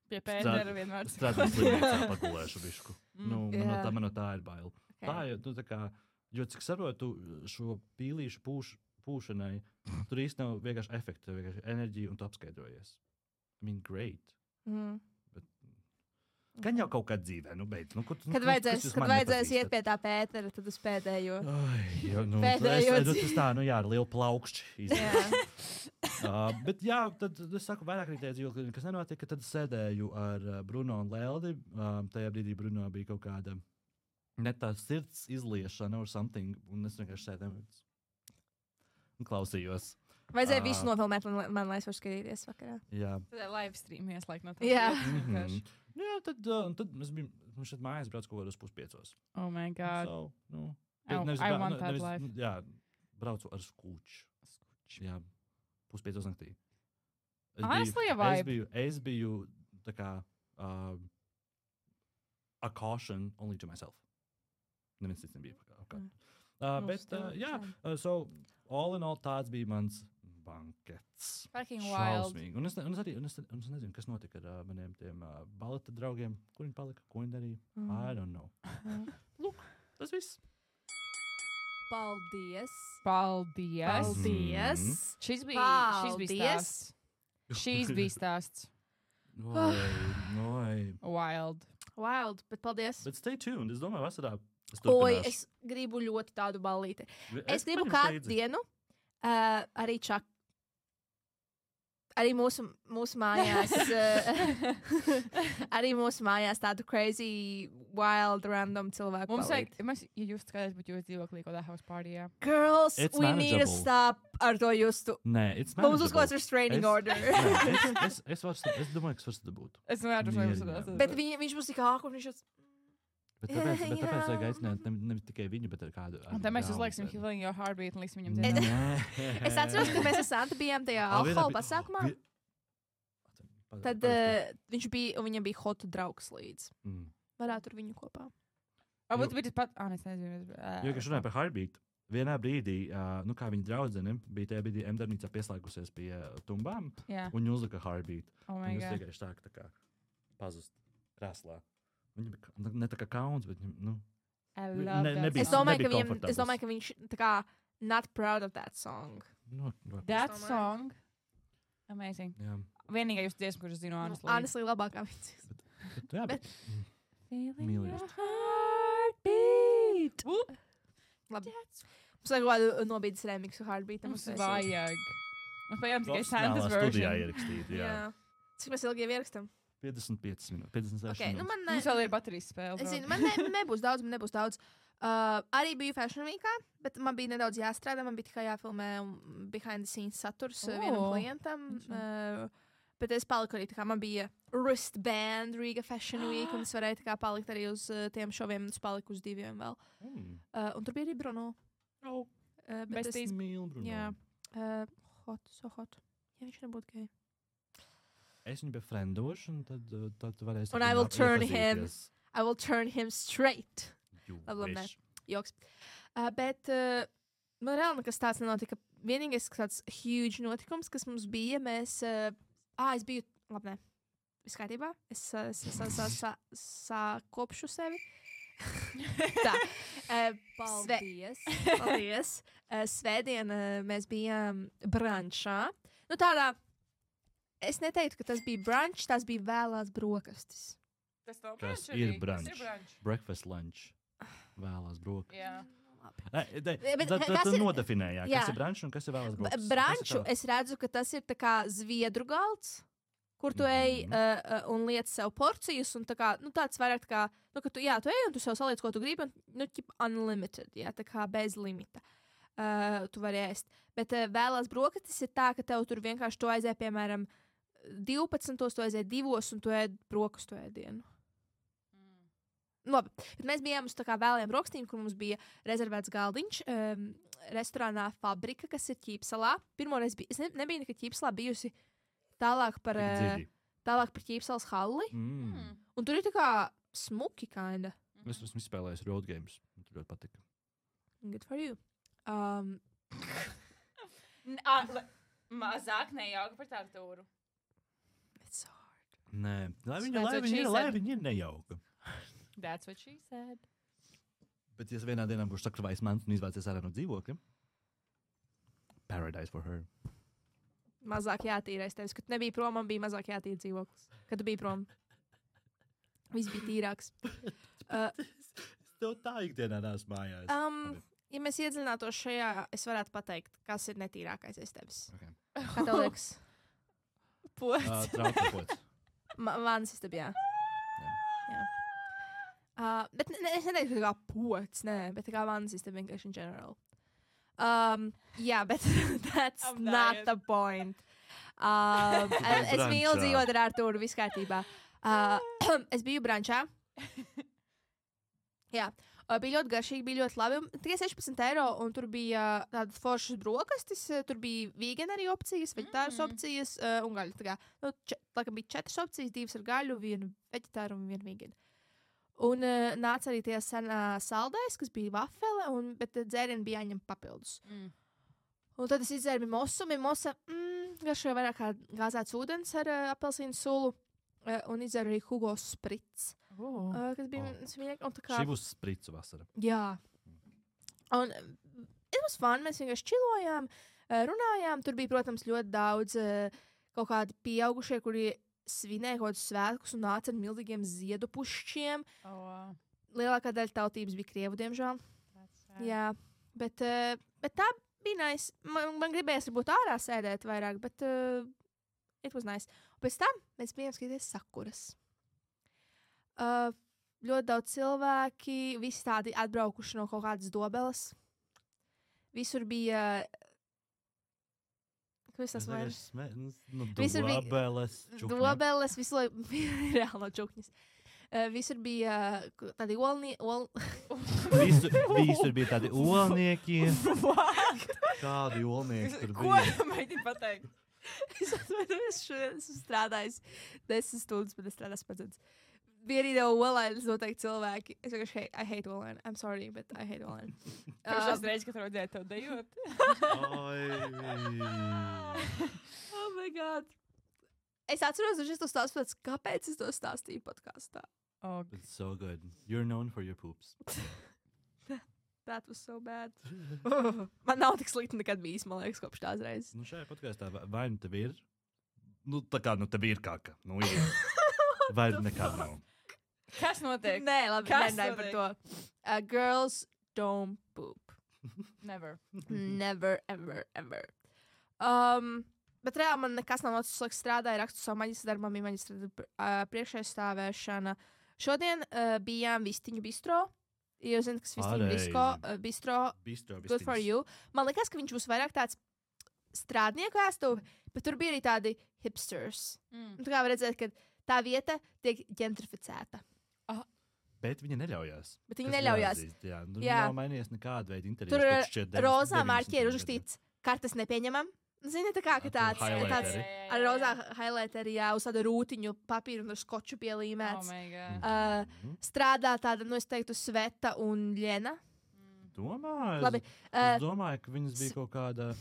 S2: pie Pētera vienmēr.
S3: Strādāt slimnīcā pagulēšu višku. Man no tā ir bail. Okay. Tā ir, tā kā, jo cik saprotu šo pīlīšu pūšanai, tur īsti nav vienkārši efekti, vienkārši enerģija un tu apskaidrojies. I mean, great. Bet, gan jau kaut kā dzīvē, beidz.
S1: Kad vajadzēs iet pie tā Pētera, tad uz pēdējo.
S3: Tas tā, ar lielu plaukšķi. Bet jā, tad es saku vairāk arī tajā dzīvoklī, kas nenotika, tad sēdēju ar Bruno un Leldi. Tajā brīdī Bruno bija kaut kāda ne tā sirds izliešana or something, un es vienkārši sēdēju un klausījos.
S1: Vajadzēja visu nofilmēt man, lai es varu skatīties vakarā.
S2: Jā. Tad live stream ieslēgt no tā.
S1: Jā.
S3: Jā, tad es biju, šeit mājās brauc kaut kādos 4:30.
S2: Oh my God.
S3: So,
S2: I want that life.
S3: Jā, braucu ar skūču. Jā. 5:30 naktī.
S2: Honestly, a vibe.
S3: Es biju tā kā a caution only to myself. Neviens cits nebija. Bet, jā, so all in all tāds bija mans bankets.
S2: Fucking wild.
S3: Un es nezinu, kas notika ar maniem tiem baleta draugiem. Kur viņi palika? Ko viņi darīja? I don't know. Lūk, tas viss.
S1: Paldies.
S2: Šis bija stāsts. Wild.
S1: Bet paldies.
S3: Bet stay tuned. Es domāju, vasarā
S1: es gribu ļoti tādu ballīti. Es gribu kādu dienu arī čak. Arī mūsu mājās, tādu crazy, wild, random cilvēku.
S2: Mums vajag, ja jūs skatāties, bet jūs dzīvoklī kaut kādā house partyjā.
S1: Girls, we need to stop ar to justu.
S3: Nē, it's manageable.
S1: Mums uzklāts restraining order.
S3: Es domāju, ka es varu dabūt.
S2: Es domāju, ka viņš
S1: Bet viņš būs tik āk, un viņš
S3: Bet tāpēc vajag aicināt nevis tikai viņu, bet kādu.
S2: Un tad mēs uzlieksim Healing Your Heartbeat un liksim viņam
S1: Es
S2: dzirdēt.
S1: atceros, ka mēs ar Santu bijām tajā alkohola pasākumā. Tad viņš bija, un viņam bija hot draugs līdz. Varētu ar viņu kopā.
S2: Varbūt bija tas pat... es nezinu.
S3: Jo, kad runāju par Heartbeat, vienā brīdī, kā viņa draudzene bija tajā brīdī M-darbnīcā pieslēgusies pie tumbām, un viņa uzlika Heartbeat. Viņa vienkārši tā kā pazust krēslā. Viņa bija ne tā kā kauns, bet
S1: es domāju, ka viņš tā kā not proud of that song.
S2: That song? Amazing.
S3: Jā.
S2: Vienīgā jūs dziesmu, kurš zinu,
S1: Honestly, labākā viņas.
S3: Bet
S2: Feeling your
S1: heartbeat. Labi. Mums vajag kādu nobīdes remixu Heartbeat.
S2: Mums vajag. Mums vajag tikai Santas version.
S3: Studijā ierakstīt, jā.
S1: Cik mēs ilgi jau ierakstām?
S3: 55 minūtes, 56
S1: okay,
S3: minūtes.
S2: Mums vēl ir baterijas spēle.
S1: Es zinu, man nebūs daudz. Arī biju Fashion Weekā, bet man bija nedaudz jāstrādā. Man bija tikai jāfilmē behind the scenes saturs vienam klientam. Bet es paliku arī, man bija wristband Riga Fashion Week, un es varēju palikt arī uz tiem šoviem, un es paliku uz 2 vēl. Un tur bija arī Bruno.
S2: Besties
S3: mīlu Bruno.
S1: Jā. So hot. Ja viņš nebūtu gay.
S3: Es viņu befriendošu, un tad varēs...
S1: Un I will turn him straight. Labi, joks. Bet man reāli nekas tāds nenotika. Vienīgais tāds huge notikums, kas mums bija, mēs... es biju... Labi, nē. Viss kārtībā. Es sakopšu sevi. Tā. Paldies. Svētdien mēs bijām brančā. Tādā... Es neteiktu, ka tas bija brunch, tas bija vēlās brokastis.
S3: Tas ir brunch. Breakfast lunch. Vēlās brokastis.
S2: Jā.
S3: Tad nodefinējāt, kas ir brunch un kas ir vēlās brokastis.
S1: Brunchu es redzu, ka tas ir tā kā zviedru galds, kur tu ej un liec sev porcijas, un tāds vairāk tā kā, ka tu ej un tu sev saliec, ko tu gribi, un unlimited, tā kā bez limita. Tu vari ēst. Bet vēlās brokastis ir tā, ka tev tur vienkārši tu aizēj, piemēram, 12, tu aizēj 2 un tu ēd brokastu ēdienu. Labi, bet mēs bijām uz tā kā vēlējām brokastīm, kur mums bija rezervēts galdiņš restorānā Fabrika, kas ir Ķīpsalā. Pirmoreiz es nebiju nekad Ķīpsalā bijusi tālāk par Ķīpsalas halli. Un tur ir tā kā smuki kinda.
S3: Es esmu izspēlējis road games. Man tur ļoti patika.
S1: Good for you.
S2: Mazāk nejauka par tādu tūru.
S1: It's so hard.
S3: Nē, lai viņa ir nejauka.
S2: That's what she said.
S3: Bet ja vienā dienā būs sakrvājis mans un izvācies ārā no dzīvokļa, paradise for her.
S1: Mazāk jātīrais tevis. Kad tu nebija prom, man bija mazāk jātīra dzīvoklis. Kad tu biji prom, viss bija tīrāks.
S3: Es tev tā ikdienā nāc mājās.
S1: Ja mēs iedziļinātos šajā, es varētu pateikt, kas ir netīrākais aiz tevis.
S3: Okay.
S1: Kā tev liekas?
S2: Pots.
S3: Trauka pots.
S1: Vānas istabā, jā. Bet es neteiktu, ka kā pots, bet tā kā vānas istabā vienkārši in general. Jā, bet that's not the point. Es mīlu dzīvot ar Artūru, viss kārtībā. Es biju brančā. Jā. Bija ļoti garšīgi, bija ļoti labi. Tikai 16 eiro, un tur bija tādas foršas brokastis. Tur bija veganari opcijas, veģetāras opcijas un gaļa. Tā kā, laikam bija 4 opcijas, 2 ar gaļu, 1 veģetāru un 1 veganu. Un nāca arī tie saldais, kas bija vafele, bet dzērieni bija jāņem papildus. Un tad es izdzēru mimosu. Mimosa garšoja vairāk kā gāzēts ūdens ar apelsīnu sulu. Un izdzēru arī Hugo Spritz. Kas bija smieklīgi.
S3: Šī būs spricu vasara.
S1: Jā. Un it was fun. Mēs vienkārši čilojām, runājām. Tur bija, protams, ļoti daudz kaut kādi pieaugušie, kuri svinēja kaut kādus svētkus un nāca ar milzīgiem ziedu pušķiem. Lielākā daļa tautības bija krievu, diemžēl. Jā. Bet tā bija nice. Man gribējās varbūt ārā sēdēt vairāk, bet it was nice. Un pēc tam mēs bijām skatīties sakuras. Ļoti daudz cilvēki, visi tādi atbraukuši no kaut kādas dobeles. Visur bija... Kas tas vairs?
S3: Dobeles, čukņi.
S1: Dobeles, visu laiku reāli no čukņas. Visur bija tādi
S3: Visur bija tādi olnieki. Kādi olnieki tur bija?
S2: Ko mēģini pateikt?
S1: Es atvainojos, šodien esmu strādājis 10 stundas, bet es strādāju pats. Bija arī jau olēnas noteikti cilvēki. Es vienkārši I hate olēnu. I'm sorry, but I hate olēnu.
S2: Pirmās reizes, kad redzēju tev dejot.
S1: Oh my God. Es atceros, ka šis to stāstu pēc, kāpēc es to stāstīju podkāstā.
S2: Okay.
S3: It's so good. You're known for your poops.
S1: That was so bad. Man nav tik slikti nekad bijis, man liekas, kopš tās reizes.
S3: Nu šajā podkāstā vai nu tev ir? Nu tā kā nu tev ir kaka. Nu ir. Vai nekad nav.
S2: Kas notiek?
S1: Nē, labi, nerunāju par to. Girls don't poop.
S2: Never.
S1: Never, ever, ever. Bet reāli man nekas nav noticis, laiks strādāju, rakstu savu maģistra darbu, bija maģistra priekšaizstāvēšana. Šodien bijām Vistiņu bistro. Jūs zināt, kas Vistiņu bistro, good for you. Man liekas, ka viņš būs vairāk tāds strādnieku ēstuvi, bet tur bija arī tādi hipsters. Tu kā var redzēt, ka tā vieta tiek ģentrificēta.
S3: Bet viņa neļaujās.
S1: Bet viņa neļaujās.
S3: Jā, nav mainījies nekāda veida interjers.
S1: Tur rozā mārķi ir uzrakstīts kartes nepieņemam. Zini, tā kā tāds ar rozā highlighteri, jā, uz tādu rūtiņu papīru un ar skoču pielīmēts. Strādā tāda, nu es teiktu, Sveta un Ļena.
S3: Domāju?
S1: Labi.
S3: Es domāju, ka viņas bija kaut kāda...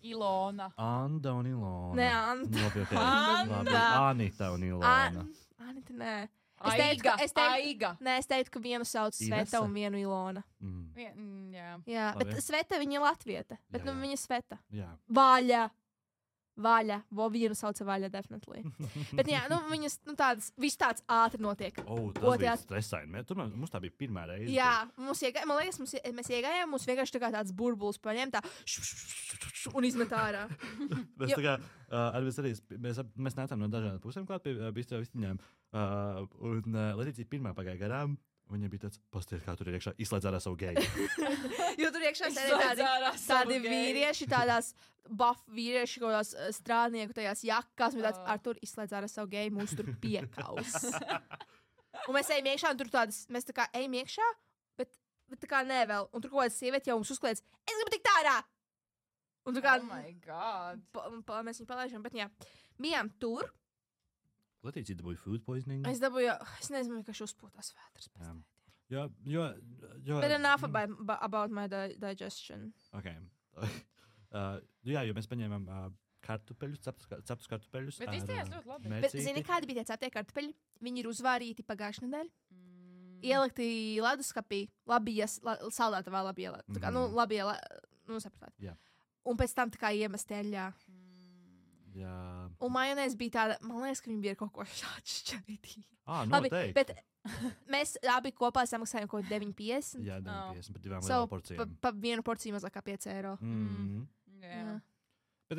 S2: Ilona.
S3: Anda un Ilona.
S1: Nē, Anda.
S3: Labi, Anita un Ilona.
S1: Anita, nē. Es teiktu, ka vienu sauc Sveta un vienu Ilona. Jā, bet Sveta viņa ir latvieta. Bet nu viņa Sveta. Vaļa. Vienu sauca Vaļa, definitely. Bet jā, nu viņas, nu tādas, viss tāds ātri notiek.
S3: Tas bija stresaini. Mums tā bija pirmā reize.
S1: Jā, man liekas, mēs iegājām, mums vienkārši tā kā tāds burbulis paņem tā un izmet ārā.
S3: Mēs tā kā, mēs nācām no dažādām pusēm klāt pie bistro Vistiņām. Un Letīcija pirmā pagāja garām. Viņa bija tāds, pasties, kā tur ir iekšā, izslēdz ārā savu geju.
S1: Jo tur iekšā tādi vīrieši, tādās buff vīrieši, kaut tās strādnieku tajās jakās, un tāds ar tur izslēdz ārā savu geju, mūs tur piekaus. Un mēs ejam iekšā, un tur tādas, mēs tā kā ejam iekšā, bet tā kā nē vēl. Un tur kaut kāds sievieti jau mums uzkliedz, es gribu tikt ārā! Un tā kā,
S2: oh my God.
S1: Mēs viņu palaižam, bet jā, bijām tur.
S3: Letīcija dabūja food poisoning.
S1: Es nezinu, ka šis uzpūtās vētras.
S3: Jo...
S1: But enough about my digestion.
S3: Okay. Jā, jo mēs paņēmām kartupeļus, ceptus kartupeļus.
S2: Bet izties ļoti labi.
S1: Bet zini, kādi bija tie ceptie kartupeļi? Viņi ir uzvārīti pagājušajā nedēļā. Ielikti leduskapī, saldētavā labi ielēt. Tā kā, nu, labi ielēt, nu, sapratāt.
S3: Jā.
S1: Un pēc tam tā kā iemest eļļā.
S3: Jā.
S1: Un majonēs bija tāda, man liekas, ka viņi bija kaut ko šķaidīgi.
S3: Noteikti.
S1: Bet mēs abi kopā samaksājām kaut 9,50.
S3: Jā, 9,50 par divām lielām porcijām.
S1: Pa vienu porciju mazāk kā 5 eiro.
S2: Jā.
S3: Bet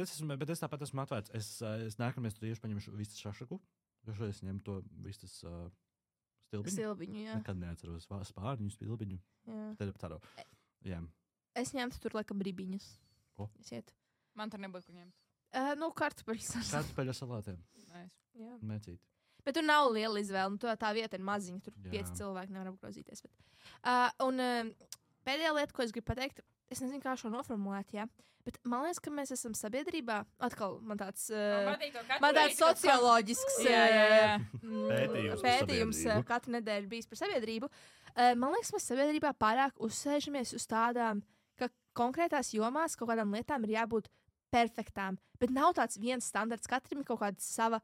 S3: es tāpat esmu atvērts. Es nākamreiz tur iešu paņemšu vistas šašaku. Jo šodien es ņemu to vistas stilbiņu.
S1: Jā.
S3: Nekad neatceros spārņu, stilbiņu. Jā.
S1: Es ņemtu tur laikam ribiņus.
S3: Ko?
S1: Man
S2: tur nebūtu ko ņemt.
S1: Nu, kartupeļu
S3: salātiem.
S2: Nice.
S3: Mēcīt.
S1: Bet tur nav liela izvēle. Nu, tā vieta ir maziņa. Tur 5 cilvēki nevar apgrozīties. Un pēdējā lieta, ko es gribu pateikt, es nezinu, kā šo noformulēt, jā. Bet man liekas, ka mēs esam sabiedrībā. Atkal man tāds socioloģisks pētījums katru nedēļu bijis par sabiedrību. Man liekas, mēs sabiedrībā pārāk uzsēžamies uz tādām, ka konkrētās jomās kaut kādām lietām ir jābūt perfektām. Bet nav tāds viens standarts. Katram ir kaut kāda sava.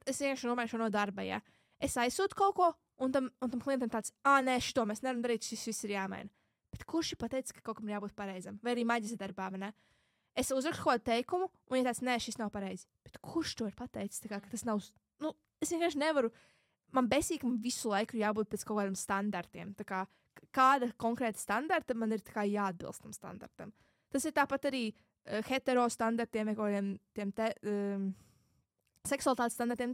S1: Es vienkārši nomēju šo no darba. Ja? Es aizsūtu kaut ko, un tam klientam tāds, nē, šito mēs nevaram darīt, šis viss ir jāmaina. Bet kurš ir pateicis, ka kaut kam jābūt pareizam? Vai arī maģistra darbā, vai ne? Es uzrakstu kaut kādu teikumu, un ja tāds, nē, šis nav pareizi. Bet kurš to ir pateicis? Tā kā, ka tas nav. Nu, es vienkārši nevaru. Man besīgi, ka man visu laiku ir jābūt pēc kaut kādiem standartiem. Tā kā kāda konkrēta standarta man ir jāatbilst tam standartam. Tas ir tāpat arī hetero standartiem, kaut kādiem seksualitātes standartiem.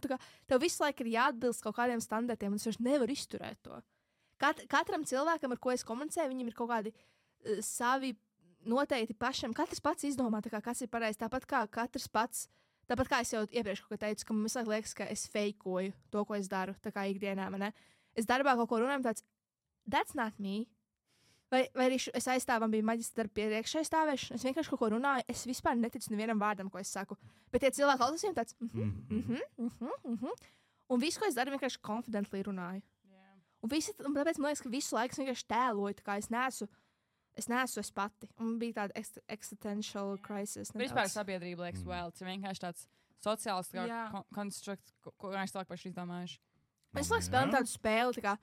S1: Tev visu laiku ir jāatbilst kaut kādiem standartiem, un es vienkārši nevaru izturēt to. Katram cilvēkam, ar ko es komunicēju, viņam ir kaut kādi savi noteikti pašam. Katrs pats izdomā, kas ir pareizi. Tāpat kā katrs pats Tāpat kā es jau iepriekš teicu, ka man visu laiku liekas, ka es fejkoju to, ko es daru, tā kā ikdienā. Es darbā kaut ko runāju, tāds, that's not me. Vai arī es aizstāvu, man bija maģistra darba priekšā aizstāvēšana. Es vienkārši kaut ko runāju, es vispār neticu nevienam vārdam, ko es saku. Bet tie cilvēki klausās viņiem tāds, un visu, ko es daru, vienkārši confidently runāju. Yeah. Un tāpēc man liekas, ka visu laiku es vienkārši tēloju, tā kā es neesmu es pati. Un bija tāda existential crisis.
S2: Vispār sabiedrība liekas vēlts, vienkārši tāds sociāls konstrukts, ko mēs cilvēki paši izdomājuši.
S1: Es laikam spēlēju tādu spēli, tā kā,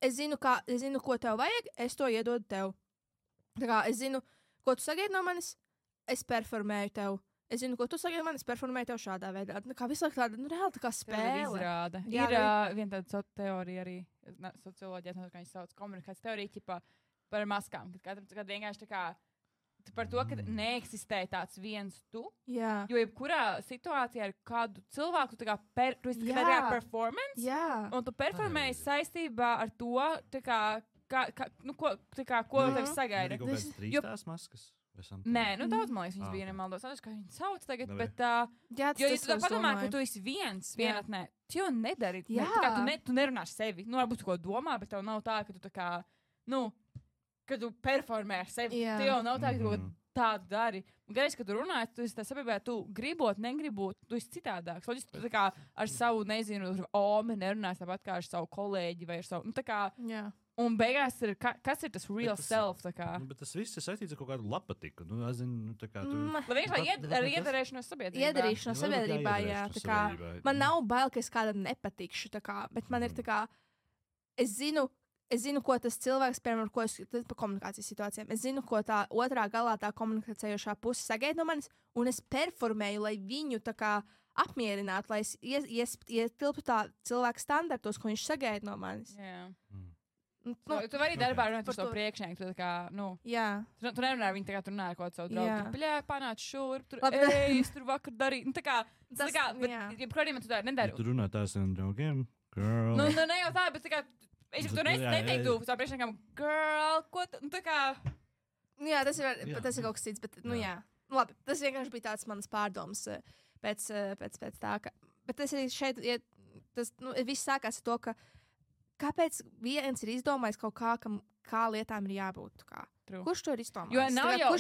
S1: es zinu, ko tev vajag, es to iedodu tev. Tā kā es zinu, ko tu sagaidi no manis, es performēju tev. Es zinu, ko tu sagaidi no manis, performēju tev šādā veidā. Tā kā visu laiku tāda, reāli tā kā spēle.
S2: Izrāda. Ir viena tāda teorija arī, socioloģija, kā viņi sauc, komunikācijas teorija, ķipā par maskām. Kad vienkārši tā kā, par to, ka neeksistē tāds viens tu.
S1: Jā.
S2: Jo jebkurā situācijā ar kādu cilvēku, tu tā kā, tu esi tikai tajā performance.
S1: Jā.
S2: Un tu performēji saistībā ar to, tā kā, ko tev sagaida.
S3: Kaut kādas trīstās maskas?
S2: Nē, daudz, man liekas, viņas bija nemaldos. Es kā viņas sauc tagad, bet,
S1: jā,
S2: jo, ja tu padomā, ka tu esi vienatnē, tu jau nedari. Jā. Tu nerunāši sevi. Varbūt tu ko domā, bet tev nav tā, ka tu tā kā, kad tu performē ar sevi, tu jau nav tā, ka tu tādu dari. Un gaisa, kad tu runāji, tu esi tā sabiedrībā, tu gribot, negribot, tu esi citādāks. Loģiski, tu tā kā ar savu, nezinu, omi nerunāsi tāpat kā ar savu kolēģi vai ar savu, tā kā, un beigās ir, kas ir tas real self, tā kā.
S3: Bet tas viss ir saistīts ar kaut kādu lapatiku. Es zinu, tā kā tu...
S2: Vienkārši ar iedarēšanos sabiedrībā.
S1: Iedarīšanos sabiedrībā, jā, tā kā, man nav bail, ka es kādam nepatikšu, tā kā, bet man ir tā kā, es zinu, ko tas cilvēks, piemēram, ko es par komunikācijas situācijām. Es zinu, ko tā otrā galā tā komunikējošā puse sagaida no manis, un es performēju, lai viņu tā kā apmierinātu, lai es ietilptu tā cilvēka standartos, ko viņš sagaida no manis.
S2: Jā. Tu vari darbā runāt par to priekšnieku, tu tā kā,
S1: jā.
S2: Tu nerunā ar viņu tā kā tu runā ar kaut savu draugu. Bļā, panāc šurp, es tur vakar darīju. Bet, jebkurādījumā tu tā nedari.
S3: Tu runā tā ar saviem draugiem, girl.
S2: Ne jau tā, bet tā kā, es jau tu neteiktu savu priekšniekam, girl, ko tu, tā kā.
S1: Jā, tas ir kaut kas cits, bet, jā. Labi, tas vienkārši bija tāds manas pārdomas pēc tā, ka, bet tas arī šeit, tas, viss sākās ar to, ka kāpēc viens ir izdomājis kaut kā lietām ir jābūt? Kurš to ir izdomājis?
S2: Jo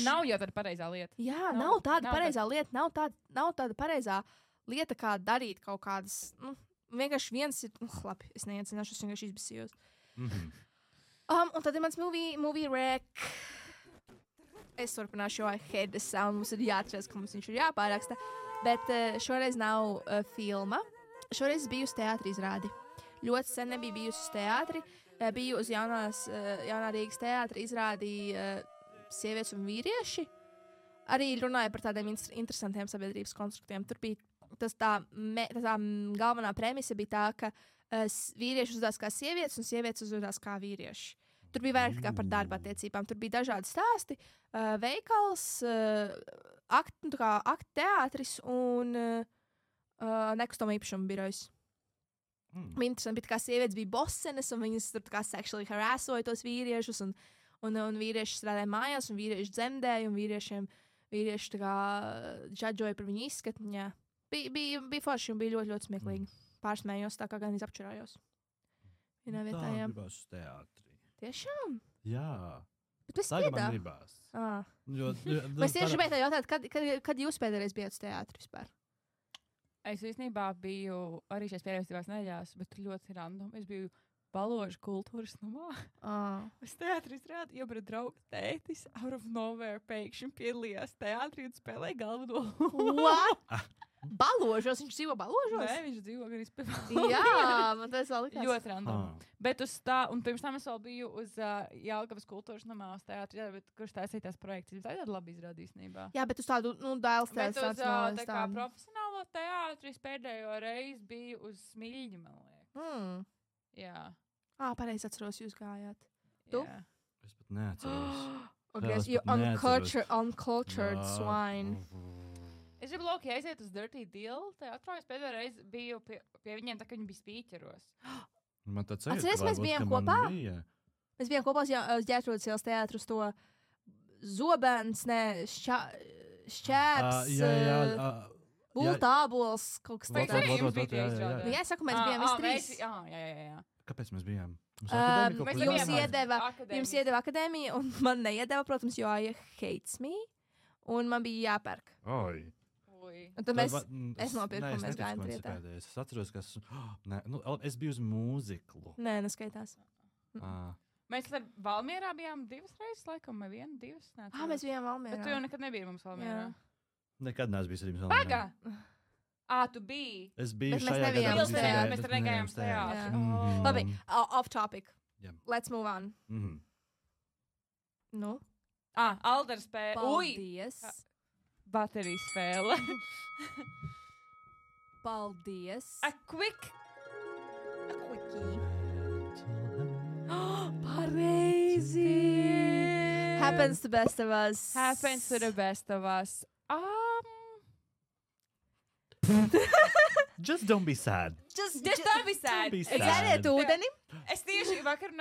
S2: nav jau tāda pareizā lieta.
S1: Jā, nav tāda pareizā lieta. Nav tāda pareizā lieta, kā darīt kaut kādas. Vienkārši viens ir. Labi, es neiecināšu, es vienkārši izbisījos. Un tad ir mans movie rec. Es turpināšu, jo I hate the sound. Mums ir jāatceras, ka mums viņš ir jāpāraksta. Bet šoreiz nav filma. Šoreiz biju uz teātri izrādi. Ļoti sen nebija bijusi uz teātri. Biju uz jaunā Rīgas teātri izrādi sievietes un vīrieši. Arī runāja par tādiem interesantiem sabiedrības konstruktiem. Tur bija tā galvenā premisa bija tā, ka vīrieši uzvedās kā sievietes un sievietes uzvedās kā vīrieši. Tur bija vairāk kā par darba attiecībām. Tur bija dažādi stāsti, veikals, aktu teātris un nekustamo īpašumu birojas. Interesanti, bet kā sievietes bija bosenes, un viņas tur kā sexually harassoja tos vīriešus, un vīrieši strādāja mājās, un vīrieši dzemdēja, un vīrieši tā kā džadžoja par viņu izskatu. Jā. Bija forši, un bija ļoti, ļoti smieklīgi. Pārsmējos, tā kā gan izapčurājos. Vienā vietā, jā.
S3: Tā gribās uz teātri.
S1: Tiešām?
S3: Jā.
S1: Bet es
S3: tagad man gribās.
S1: Es tieši gribēju tā jautāt, kad jūs pēdējais bijāt uz teātri vispār?
S2: Es īstenībā biju arī šajās pēdējās nedēļās, bet ļoti random. Es biju Balložu kultūras namā. Es teātri izrādu, jo brīd draugs tētis out of nowhere pēkšņi piedalījās teātrī un spēlēja galveno.
S1: What? Balložos? Viņš dzīvo Balložos?
S2: Nē, viņš dzīvo gan izpēlē.
S1: Jā, man tas vēl likās.
S2: Ļoti random. Bet un pirms tam es vēl biju uz Jelgavas kultūras namā uz teātri, kurš taisīja tās projekts. Tā ir tāda labi izrādīsnībā.
S1: Jā, bet uz tādu, Dailes
S2: teātris. Bet uz tā kā profesionālo teātris pēdējo reizi biju uz Smiļņu, man liekas. Jā.
S1: Pareizi atceros, jūs gājāt. Tu?
S2: Jā.
S3: Es pat neatceros.
S1: You uncultured swine.
S2: Es gribu Loki aiziet uz Dirty Deal teātrā. Es pēdējo reizi biju pie viņiem, tā kā viņi bija spīķeros.
S3: Man tāds ir,
S1: atceries, mēs bijām kopā? Mēs bijām kopā uz Ģērtrūdas ielas teātru uz to Zobens, šķērs. Bultābols kaut kas tāds. Jā, es saku, mēs bijām visi trīs.
S2: Jā.
S3: Kāpēc mēs bijām?
S1: Jums iedeva akadēmija, un man neiedeva, protams, jo Aija hates me, un man bija jāpērk.
S3: Oi.
S1: Un tad es nopirku, un mēs gājām trietā.
S3: Es atceros, ka es biju uz mūziklu.
S1: Nē, neskaitās.
S2: Mēs ar Valmierā bijām 2 reizes, laikam, vai 1, 2.
S1: Mēs bijām Valmierā.
S2: Bet tu jau nekad nebija mums Valmierā.
S3: Nekad neesmu bijis ar jums Valmierā.
S2: Pagā! Tu biji.
S3: Es biju
S1: Bet
S3: šajā
S1: gadā.
S2: Mēs tur negājām tajā.
S1: Labi, off topic.
S3: Jā.
S1: Let's move on. Nu?
S2: Aldera spēle.
S1: Paldies.
S2: Baterijas spēle.
S1: Paldies.
S2: A quickie.
S1: Pareizi. Happens to best of us.
S2: Happens to the best of us.
S3: Just don't be sad.
S2: Just don't be sad.
S1: Dzeriet ūdeni.
S2: Es tieši aizvakar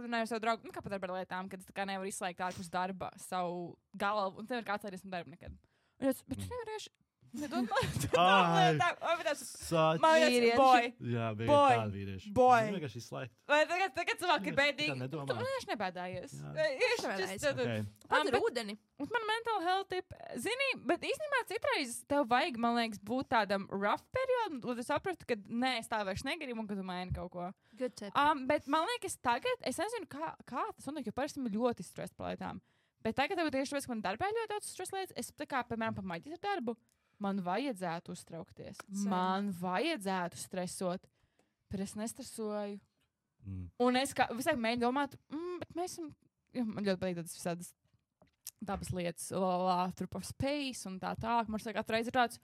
S2: runāju ar savu draugu, kā par darba lietām, kad es tā kā nevaru izslēgt ārpus darba savu galvu, un tev ir kāds atcerēties no darba nekad. Un es, bet tu nevarēši nedod man lietām.
S1: Boy.
S3: Jā, bija tāda vīrieši.
S2: Boy.
S3: Vienkārši izslēgt.
S2: Vai tagad cilvēki ir bēdīgi?
S3: Tā nedomā.
S2: Tu vienkārši nebēdājies.
S1: Pat ir ūdeni.
S2: Un man mental health tip, zini, bet īstenībā citreiz tev vajag, man liekas, būt tādam rough periodam, lai tu saprastu, ka nē, es tā vairs negribu un ka tu maini kaut ko.
S1: Good tip.
S2: Bet man liekas, tagad, es nezinu, kā tas notiek, jo parasti man ļoti stress par lietām. Bet tagad, tieši tāpēc, ka man darbā ļoti daudz stress lietas, es tā kā, piemēram, pa maģistra darbu, man vajadzētu uztraukties. Man vajadzētu stresot, bet es nestresoju. Un es visai mēģinu domāt, bet mēs esam, man ļoti patīk tādas visādas dabas lietas, tur par space un tā. Man šķiet, katru reizi ir tāds,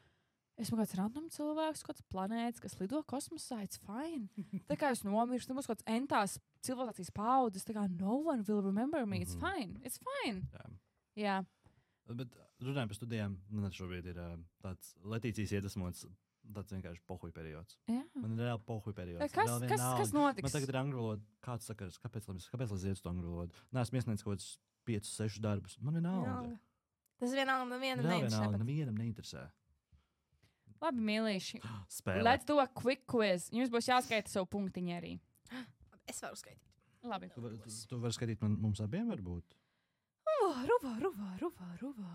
S2: esmu kāds random cilvēks, kāds planētas, kas lido kosmosā, it's fine. Tā kā es nomirstu, tad būs kāds entās civilizācijas paudzes, tā kā no one will remember me, it's fine. Jā.
S3: Bet runājot par studijām, man šobrīd ir tāds Letīcijas iedvesmots, tāds vienkārši pohuj periods.
S2: Jā.
S3: Man ir reāli pohuj periods.
S2: Kas notiks?
S3: Man tagad ir angļu valoda. Kāds sakars, kāpēc lai iet uz angļu valodu? Nē, esmu iesniedzis kaut kādus 5-6 darbus. Man vienalga.
S1: Tas vienalga
S3: nevienam neinteresē.
S2: Labi, mīlīši.
S3: Spēlē.
S2: Let's do a quick quiz. Jums būs jāskaita savu punktiņu arī.
S1: Es varu skaitīt.
S2: Labi.
S3: Tu vari skaitīt mums abiem varbūt?
S1: Ruvā.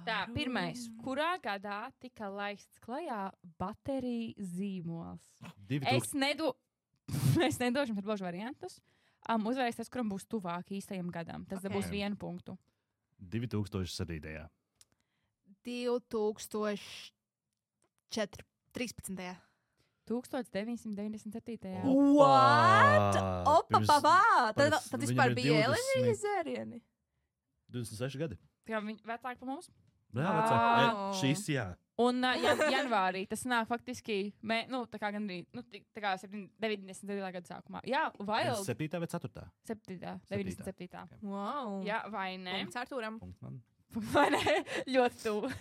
S2: Tā, pirmais. Kurā gadā tika laists klajā bateriju zīmols? Es nedošu jums atbilžu variantus. Uzvarēs tas, kuram būs tuvāk īstajam gadam. Tas būs 1 punktu.
S3: 2007.
S1: 2013.
S2: 1997.
S1: What? Opa! Tad vispār bija Elīzijas zērieni.
S3: 26 gadi.
S2: Tā viņi vecāki par mums?
S3: Jā, vecāki. Šīs, jā.
S2: Un janvārī tas nāk faktiski, tā kā gandrīz, tā kā 99. gada sākumā. Jā, Wild.
S3: 7. vai 4.
S2: 7. 97.
S1: Wow.
S2: Jā, vai ne?
S1: Punkts Artūram.
S3: Punkts man.
S2: Vai ne? Ļoti tuvu.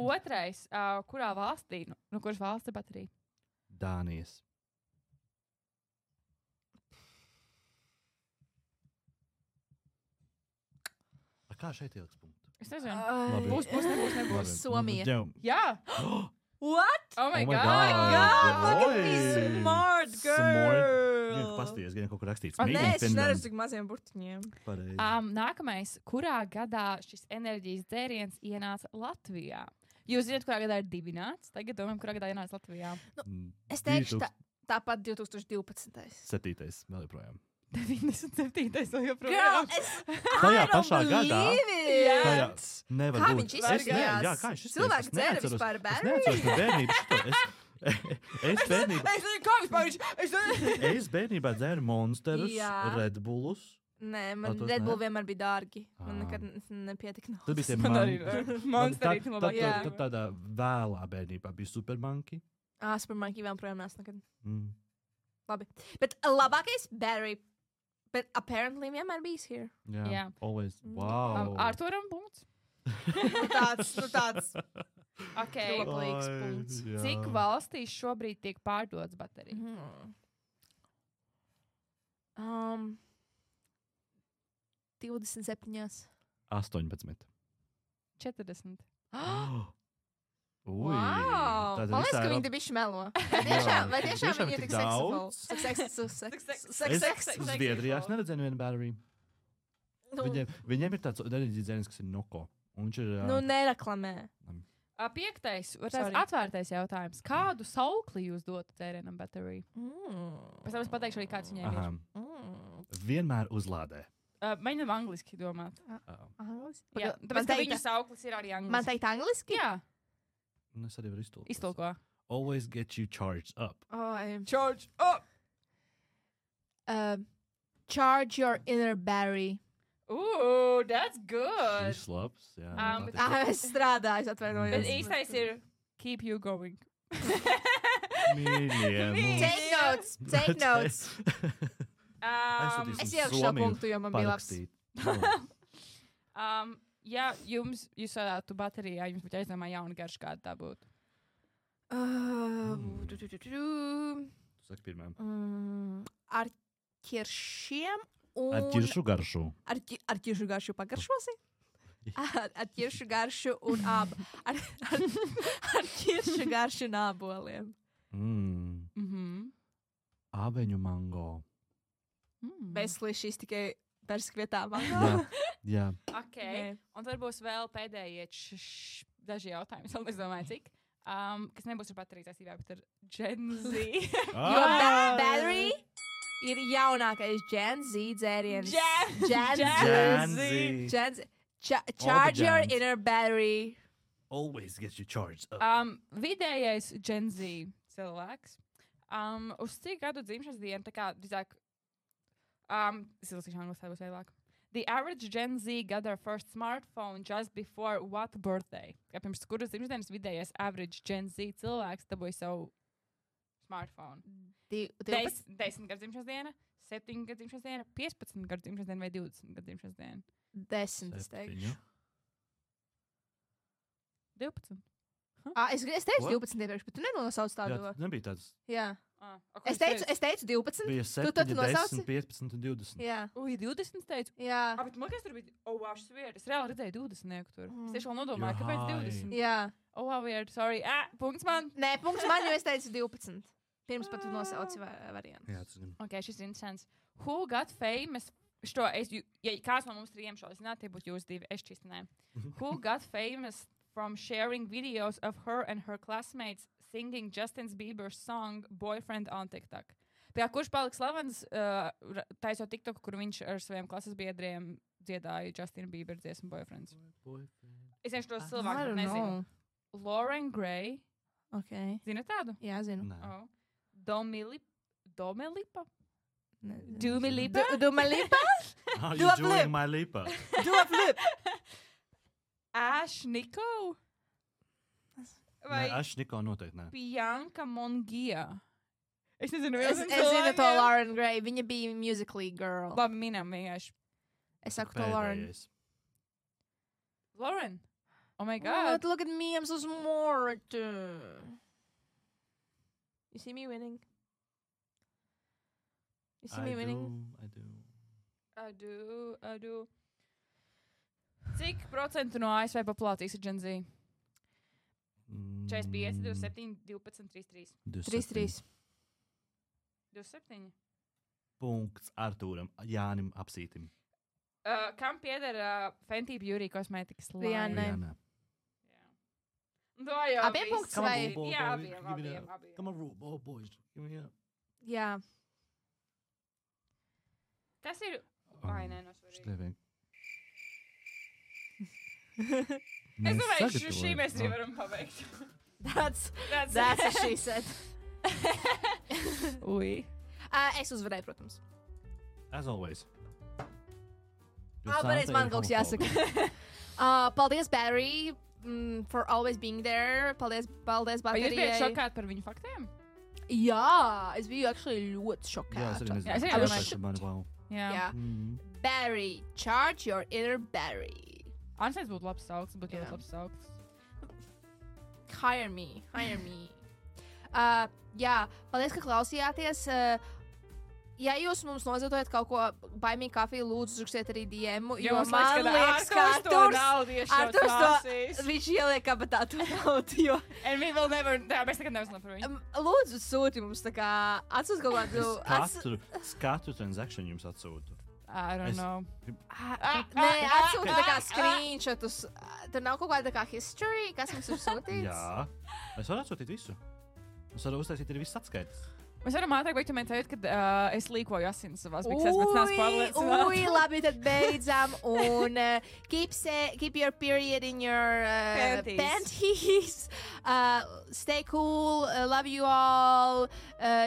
S2: Otrais, kurā valstī, no kuras valsts ir baterija?
S3: Dānijas. Kā šeit ieliks punktu?
S2: Es nezinu. Nebūs.
S1: Somija.
S2: Jā.
S1: What?
S2: Oh my god.
S1: Look at me, smart girl.
S3: Pasties, gan kaut kur rakstīts.
S1: Nē, es neredzu tik maziem burtiņiem.
S2: Nākamais. Kurā gadā šis enerģijas dzēriens ienāca Latvijā? Jūs zināt, kurā gadā ir dibināts? Tagad domājam, kurā gadā ienāca Latvijā.
S1: Es teikšu tāpat 2012.
S3: 7. vēl joprojām.
S2: 97. vēl joprojām.
S1: Girl,
S3: tajā pašā gadā. Nevar
S1: kā
S3: būt.
S1: viņš izskatījās?
S3: Jā, kā viņš izskatījās?
S1: Cilvēks dzēra vispār bērnību.
S3: Es neatceros bērnību. Es bērnībā dzēru Monsterus, Red Bullus.
S1: Nē, man Red Bull vienmēr bija dārgi. Man nekad nepietika naudas.
S3: Tad bija tie
S2: Monsteri.
S3: Tad tādā vēlā bērnībā bija Supermonkey.
S1: Supermonkey vēl projām nāc nekad. Labi. Bet labākais Barry. But apparently vienmēr bijis here.
S2: Jā.
S3: Always. Wow.
S2: Arturam punkts.
S1: tāds.
S2: Ok.
S1: Roplīgs punkts.
S2: Cik valstīs šobrīd tiek pārdotas baterijas?
S1: 27.
S3: 18.
S2: 40.
S3: Ui,
S1: Wow! Man liekas, ka viņi te bišķi melo. Vai tiešām viņi ir tik seksafuli?
S3: Zviedrijā es neredzēju vienu batteriju. Viņiem ir tāds enerģijas, kas ir Noko.
S1: Nereklamē.
S2: 5. atvērtais jautājums. Kādu saukli jūs dotu tērienam bateriju? Pēc tam es pateikšu arī, kāds viņiem ir.
S3: Vienmēr uzlādē.
S2: Mēģinām angliski domāt.
S1: Angliski?
S2: Jā, tāpēc, ka viņu sauklis ir arī angliski.
S1: Man teikt angliski?
S2: Jā.
S3: Es arī varu iztulkot.
S2: Iztulko.
S3: Always get you charged up.
S2: Charge up!
S1: Charge your inner battery.
S2: Ooh, that's good.
S3: Šis labs, jā.
S1: Es strādāju, atvainojos.
S2: Bet īstais ir keep you going.
S3: Mīļiem.
S1: Take notes. Es ielikšu šo punktu, jo man bija labs.
S2: Ja jūs varētu baterijā, jums būtu aizdomā jauna garša, kāda tā būtu.
S3: Saka pirmajam.
S1: Ar ķiršiem un...
S3: Ar ķiršu garšu.
S1: Ar ķiršu garšu pagaršosi? Ar ķiršu garšu un ar ķiršu garšu un āboliem.
S3: Ābeņu mango.
S1: Veselīgi šis tikai persku vietā mango.
S3: Jā.
S2: Ok, un tad būs vēl pēdējie daži jautājumi, vēl es domāju, cik. Kas nebūs ar bateriju saistībā, bet ar Gen Z.
S1: Jo battery ir jaunākais Gen Z dzēriens.
S3: Gen Z.
S1: Charge your inner battery.
S3: Always get you charged up.
S2: Vidējais Gen Z cilvēks. Uz cik gadu dzimšanas dienu, tā kā, drīzāk, es izlasīšu angļu, tā būs vēlāk. The average Gen Z got their first smartphone just before what birthday? Kā pirms kuras dzimšanas vidējais average Gen Z cilvēks dabūja savu smartphone? 10 gadu dzimšanas diena, 7 gadu dzimšanas diena, 15 gadu dzimšanas diena vai 20 gadu dzimšanas diena?
S1: 10, es teikšu.
S2: 12.
S1: Es teicu 12 iepriekš, bet tu nenosauc tādu.
S3: Jā, nebija tāds.
S1: Jā. Es teicu 12.
S3: Bija 7, 10, 15 un 20.
S1: Jā.
S2: Ui, 20 teicu.
S1: Jā.
S2: Bet man kas tur bija? Wow, šis weird. Es reāli redzēju 20 tur. Es tieši vēl nodomāju, kāpēc 20.
S1: Jā.
S2: Wow, weird, sorry. Punkts man.
S1: Nē, punkts man, jo es teicu 12. Pirms pat tu nosauci variantus.
S3: Jā, tas ir.
S2: Ok, šis ir interesants. Who got famous? Ja kāds no mums trījiem šo zināt, tie būtu jūs divi. Es čistināju. Who got famous from sharing videos of her and her classmates singing Justin Bieber's song Boyfriend on TikTok? Pie kurš palika slavens taisot TikTok, kur viņš ar saviem klases biedriem dziedāja Justin Bieber dziesmu Boyfriends? Es vienkārši tos cilvēkus nezinu. Lauren Gray.
S1: Ok.
S2: Zini tādu?
S1: Jā, zinu.
S2: Oh. Domelipa?
S1: Dumelipa?
S3: How you doing, my lipa?
S1: Dua flip.
S2: Ash Nico?
S3: Vai Ash Nico noteikti nē.
S2: Bianca Mongia? Es nezinu,
S1: es zinu to Lauren Gray. Viņa bija Musical.ly girl.
S2: Labi, minam vienkārši.
S1: Es saku to Lauren.
S2: Lauren? Oh my God.
S1: Look at me, I'm so smart. You see me winning? You see me winning?
S3: I
S2: do. Cik procentu no ASV populācijas ir Gen Z? 45, 27, 12, 33.
S1: 33.
S2: 27.
S3: Punkts Artūram, Jānim Apsītim.
S2: Kam pieder Fenty Beauty kosmētikas line?
S1: Rihanna.
S2: Abiem punkts vai? Jā, abiem.
S3: Come on, boys. Give me up.
S1: Jā.
S2: Kas ir? Vai, nē, no svarīgi. Es domāju, šī mēs arī varam pabeigt.
S1: That's what she said.
S2: Ui.
S1: Es uzvarēju, protams.
S3: As always.
S1: Pareiz man kaut kas jāsaka. Paldies, Barry, for always being there. Paldies,
S2: Baterijai. Vai jūs bijat šokāti par viņu faktiem?
S1: Jā, es biju actually ļoti šokāta.
S3: Jā, es arī nezinu.
S1: Jā. Barry, charge your inner Barry.
S2: Ansēs būtu labs sauks, būtu ļoti labs sauks.
S1: Hire me. Jā, paldies, ka klausījāties. ja jūs mums nozietojat kaut ko baimīgu kafiju, lūdzu, rakstiet arī DM.
S2: Jo man liekas, ka Arturs
S1: viņš ieliek kabatā to naudu.
S2: And we will never, mēs nekad neuzzinām par viņu.
S1: Lūdzu, sūti mums tā kā atsūt kaut kādu.
S3: Katru transakciju jums atsūtu.
S2: I don't know.
S1: Nē, atsūta tā kā screenshotus. Tur nav kaut kāda tā kā history, kas mums ir sūtīts?
S3: Jā. Es varu atsūtīt visu. Es varu uztaisīt arī viss atskaites.
S2: Mēs varam ātrāk beigt, man teikt, ka es līkoju asins savās biksēs, bet nāc pārliecināts.
S1: Labi, tad beidzam. Un keep your period in your panties. Stay cool. Love you all.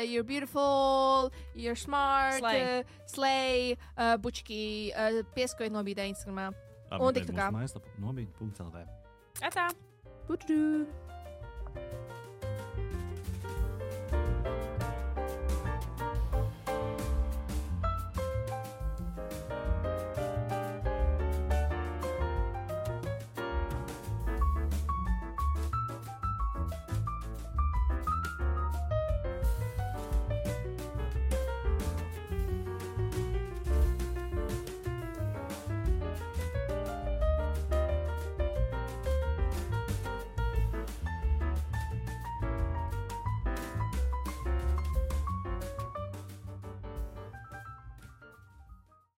S1: You're beautiful. You're smart. Slay. Bučki. Pieskojiet nobīdē Instagramā. Un tik tā kā.
S3: Nobīd.lv.
S2: Atā.
S1: Putu.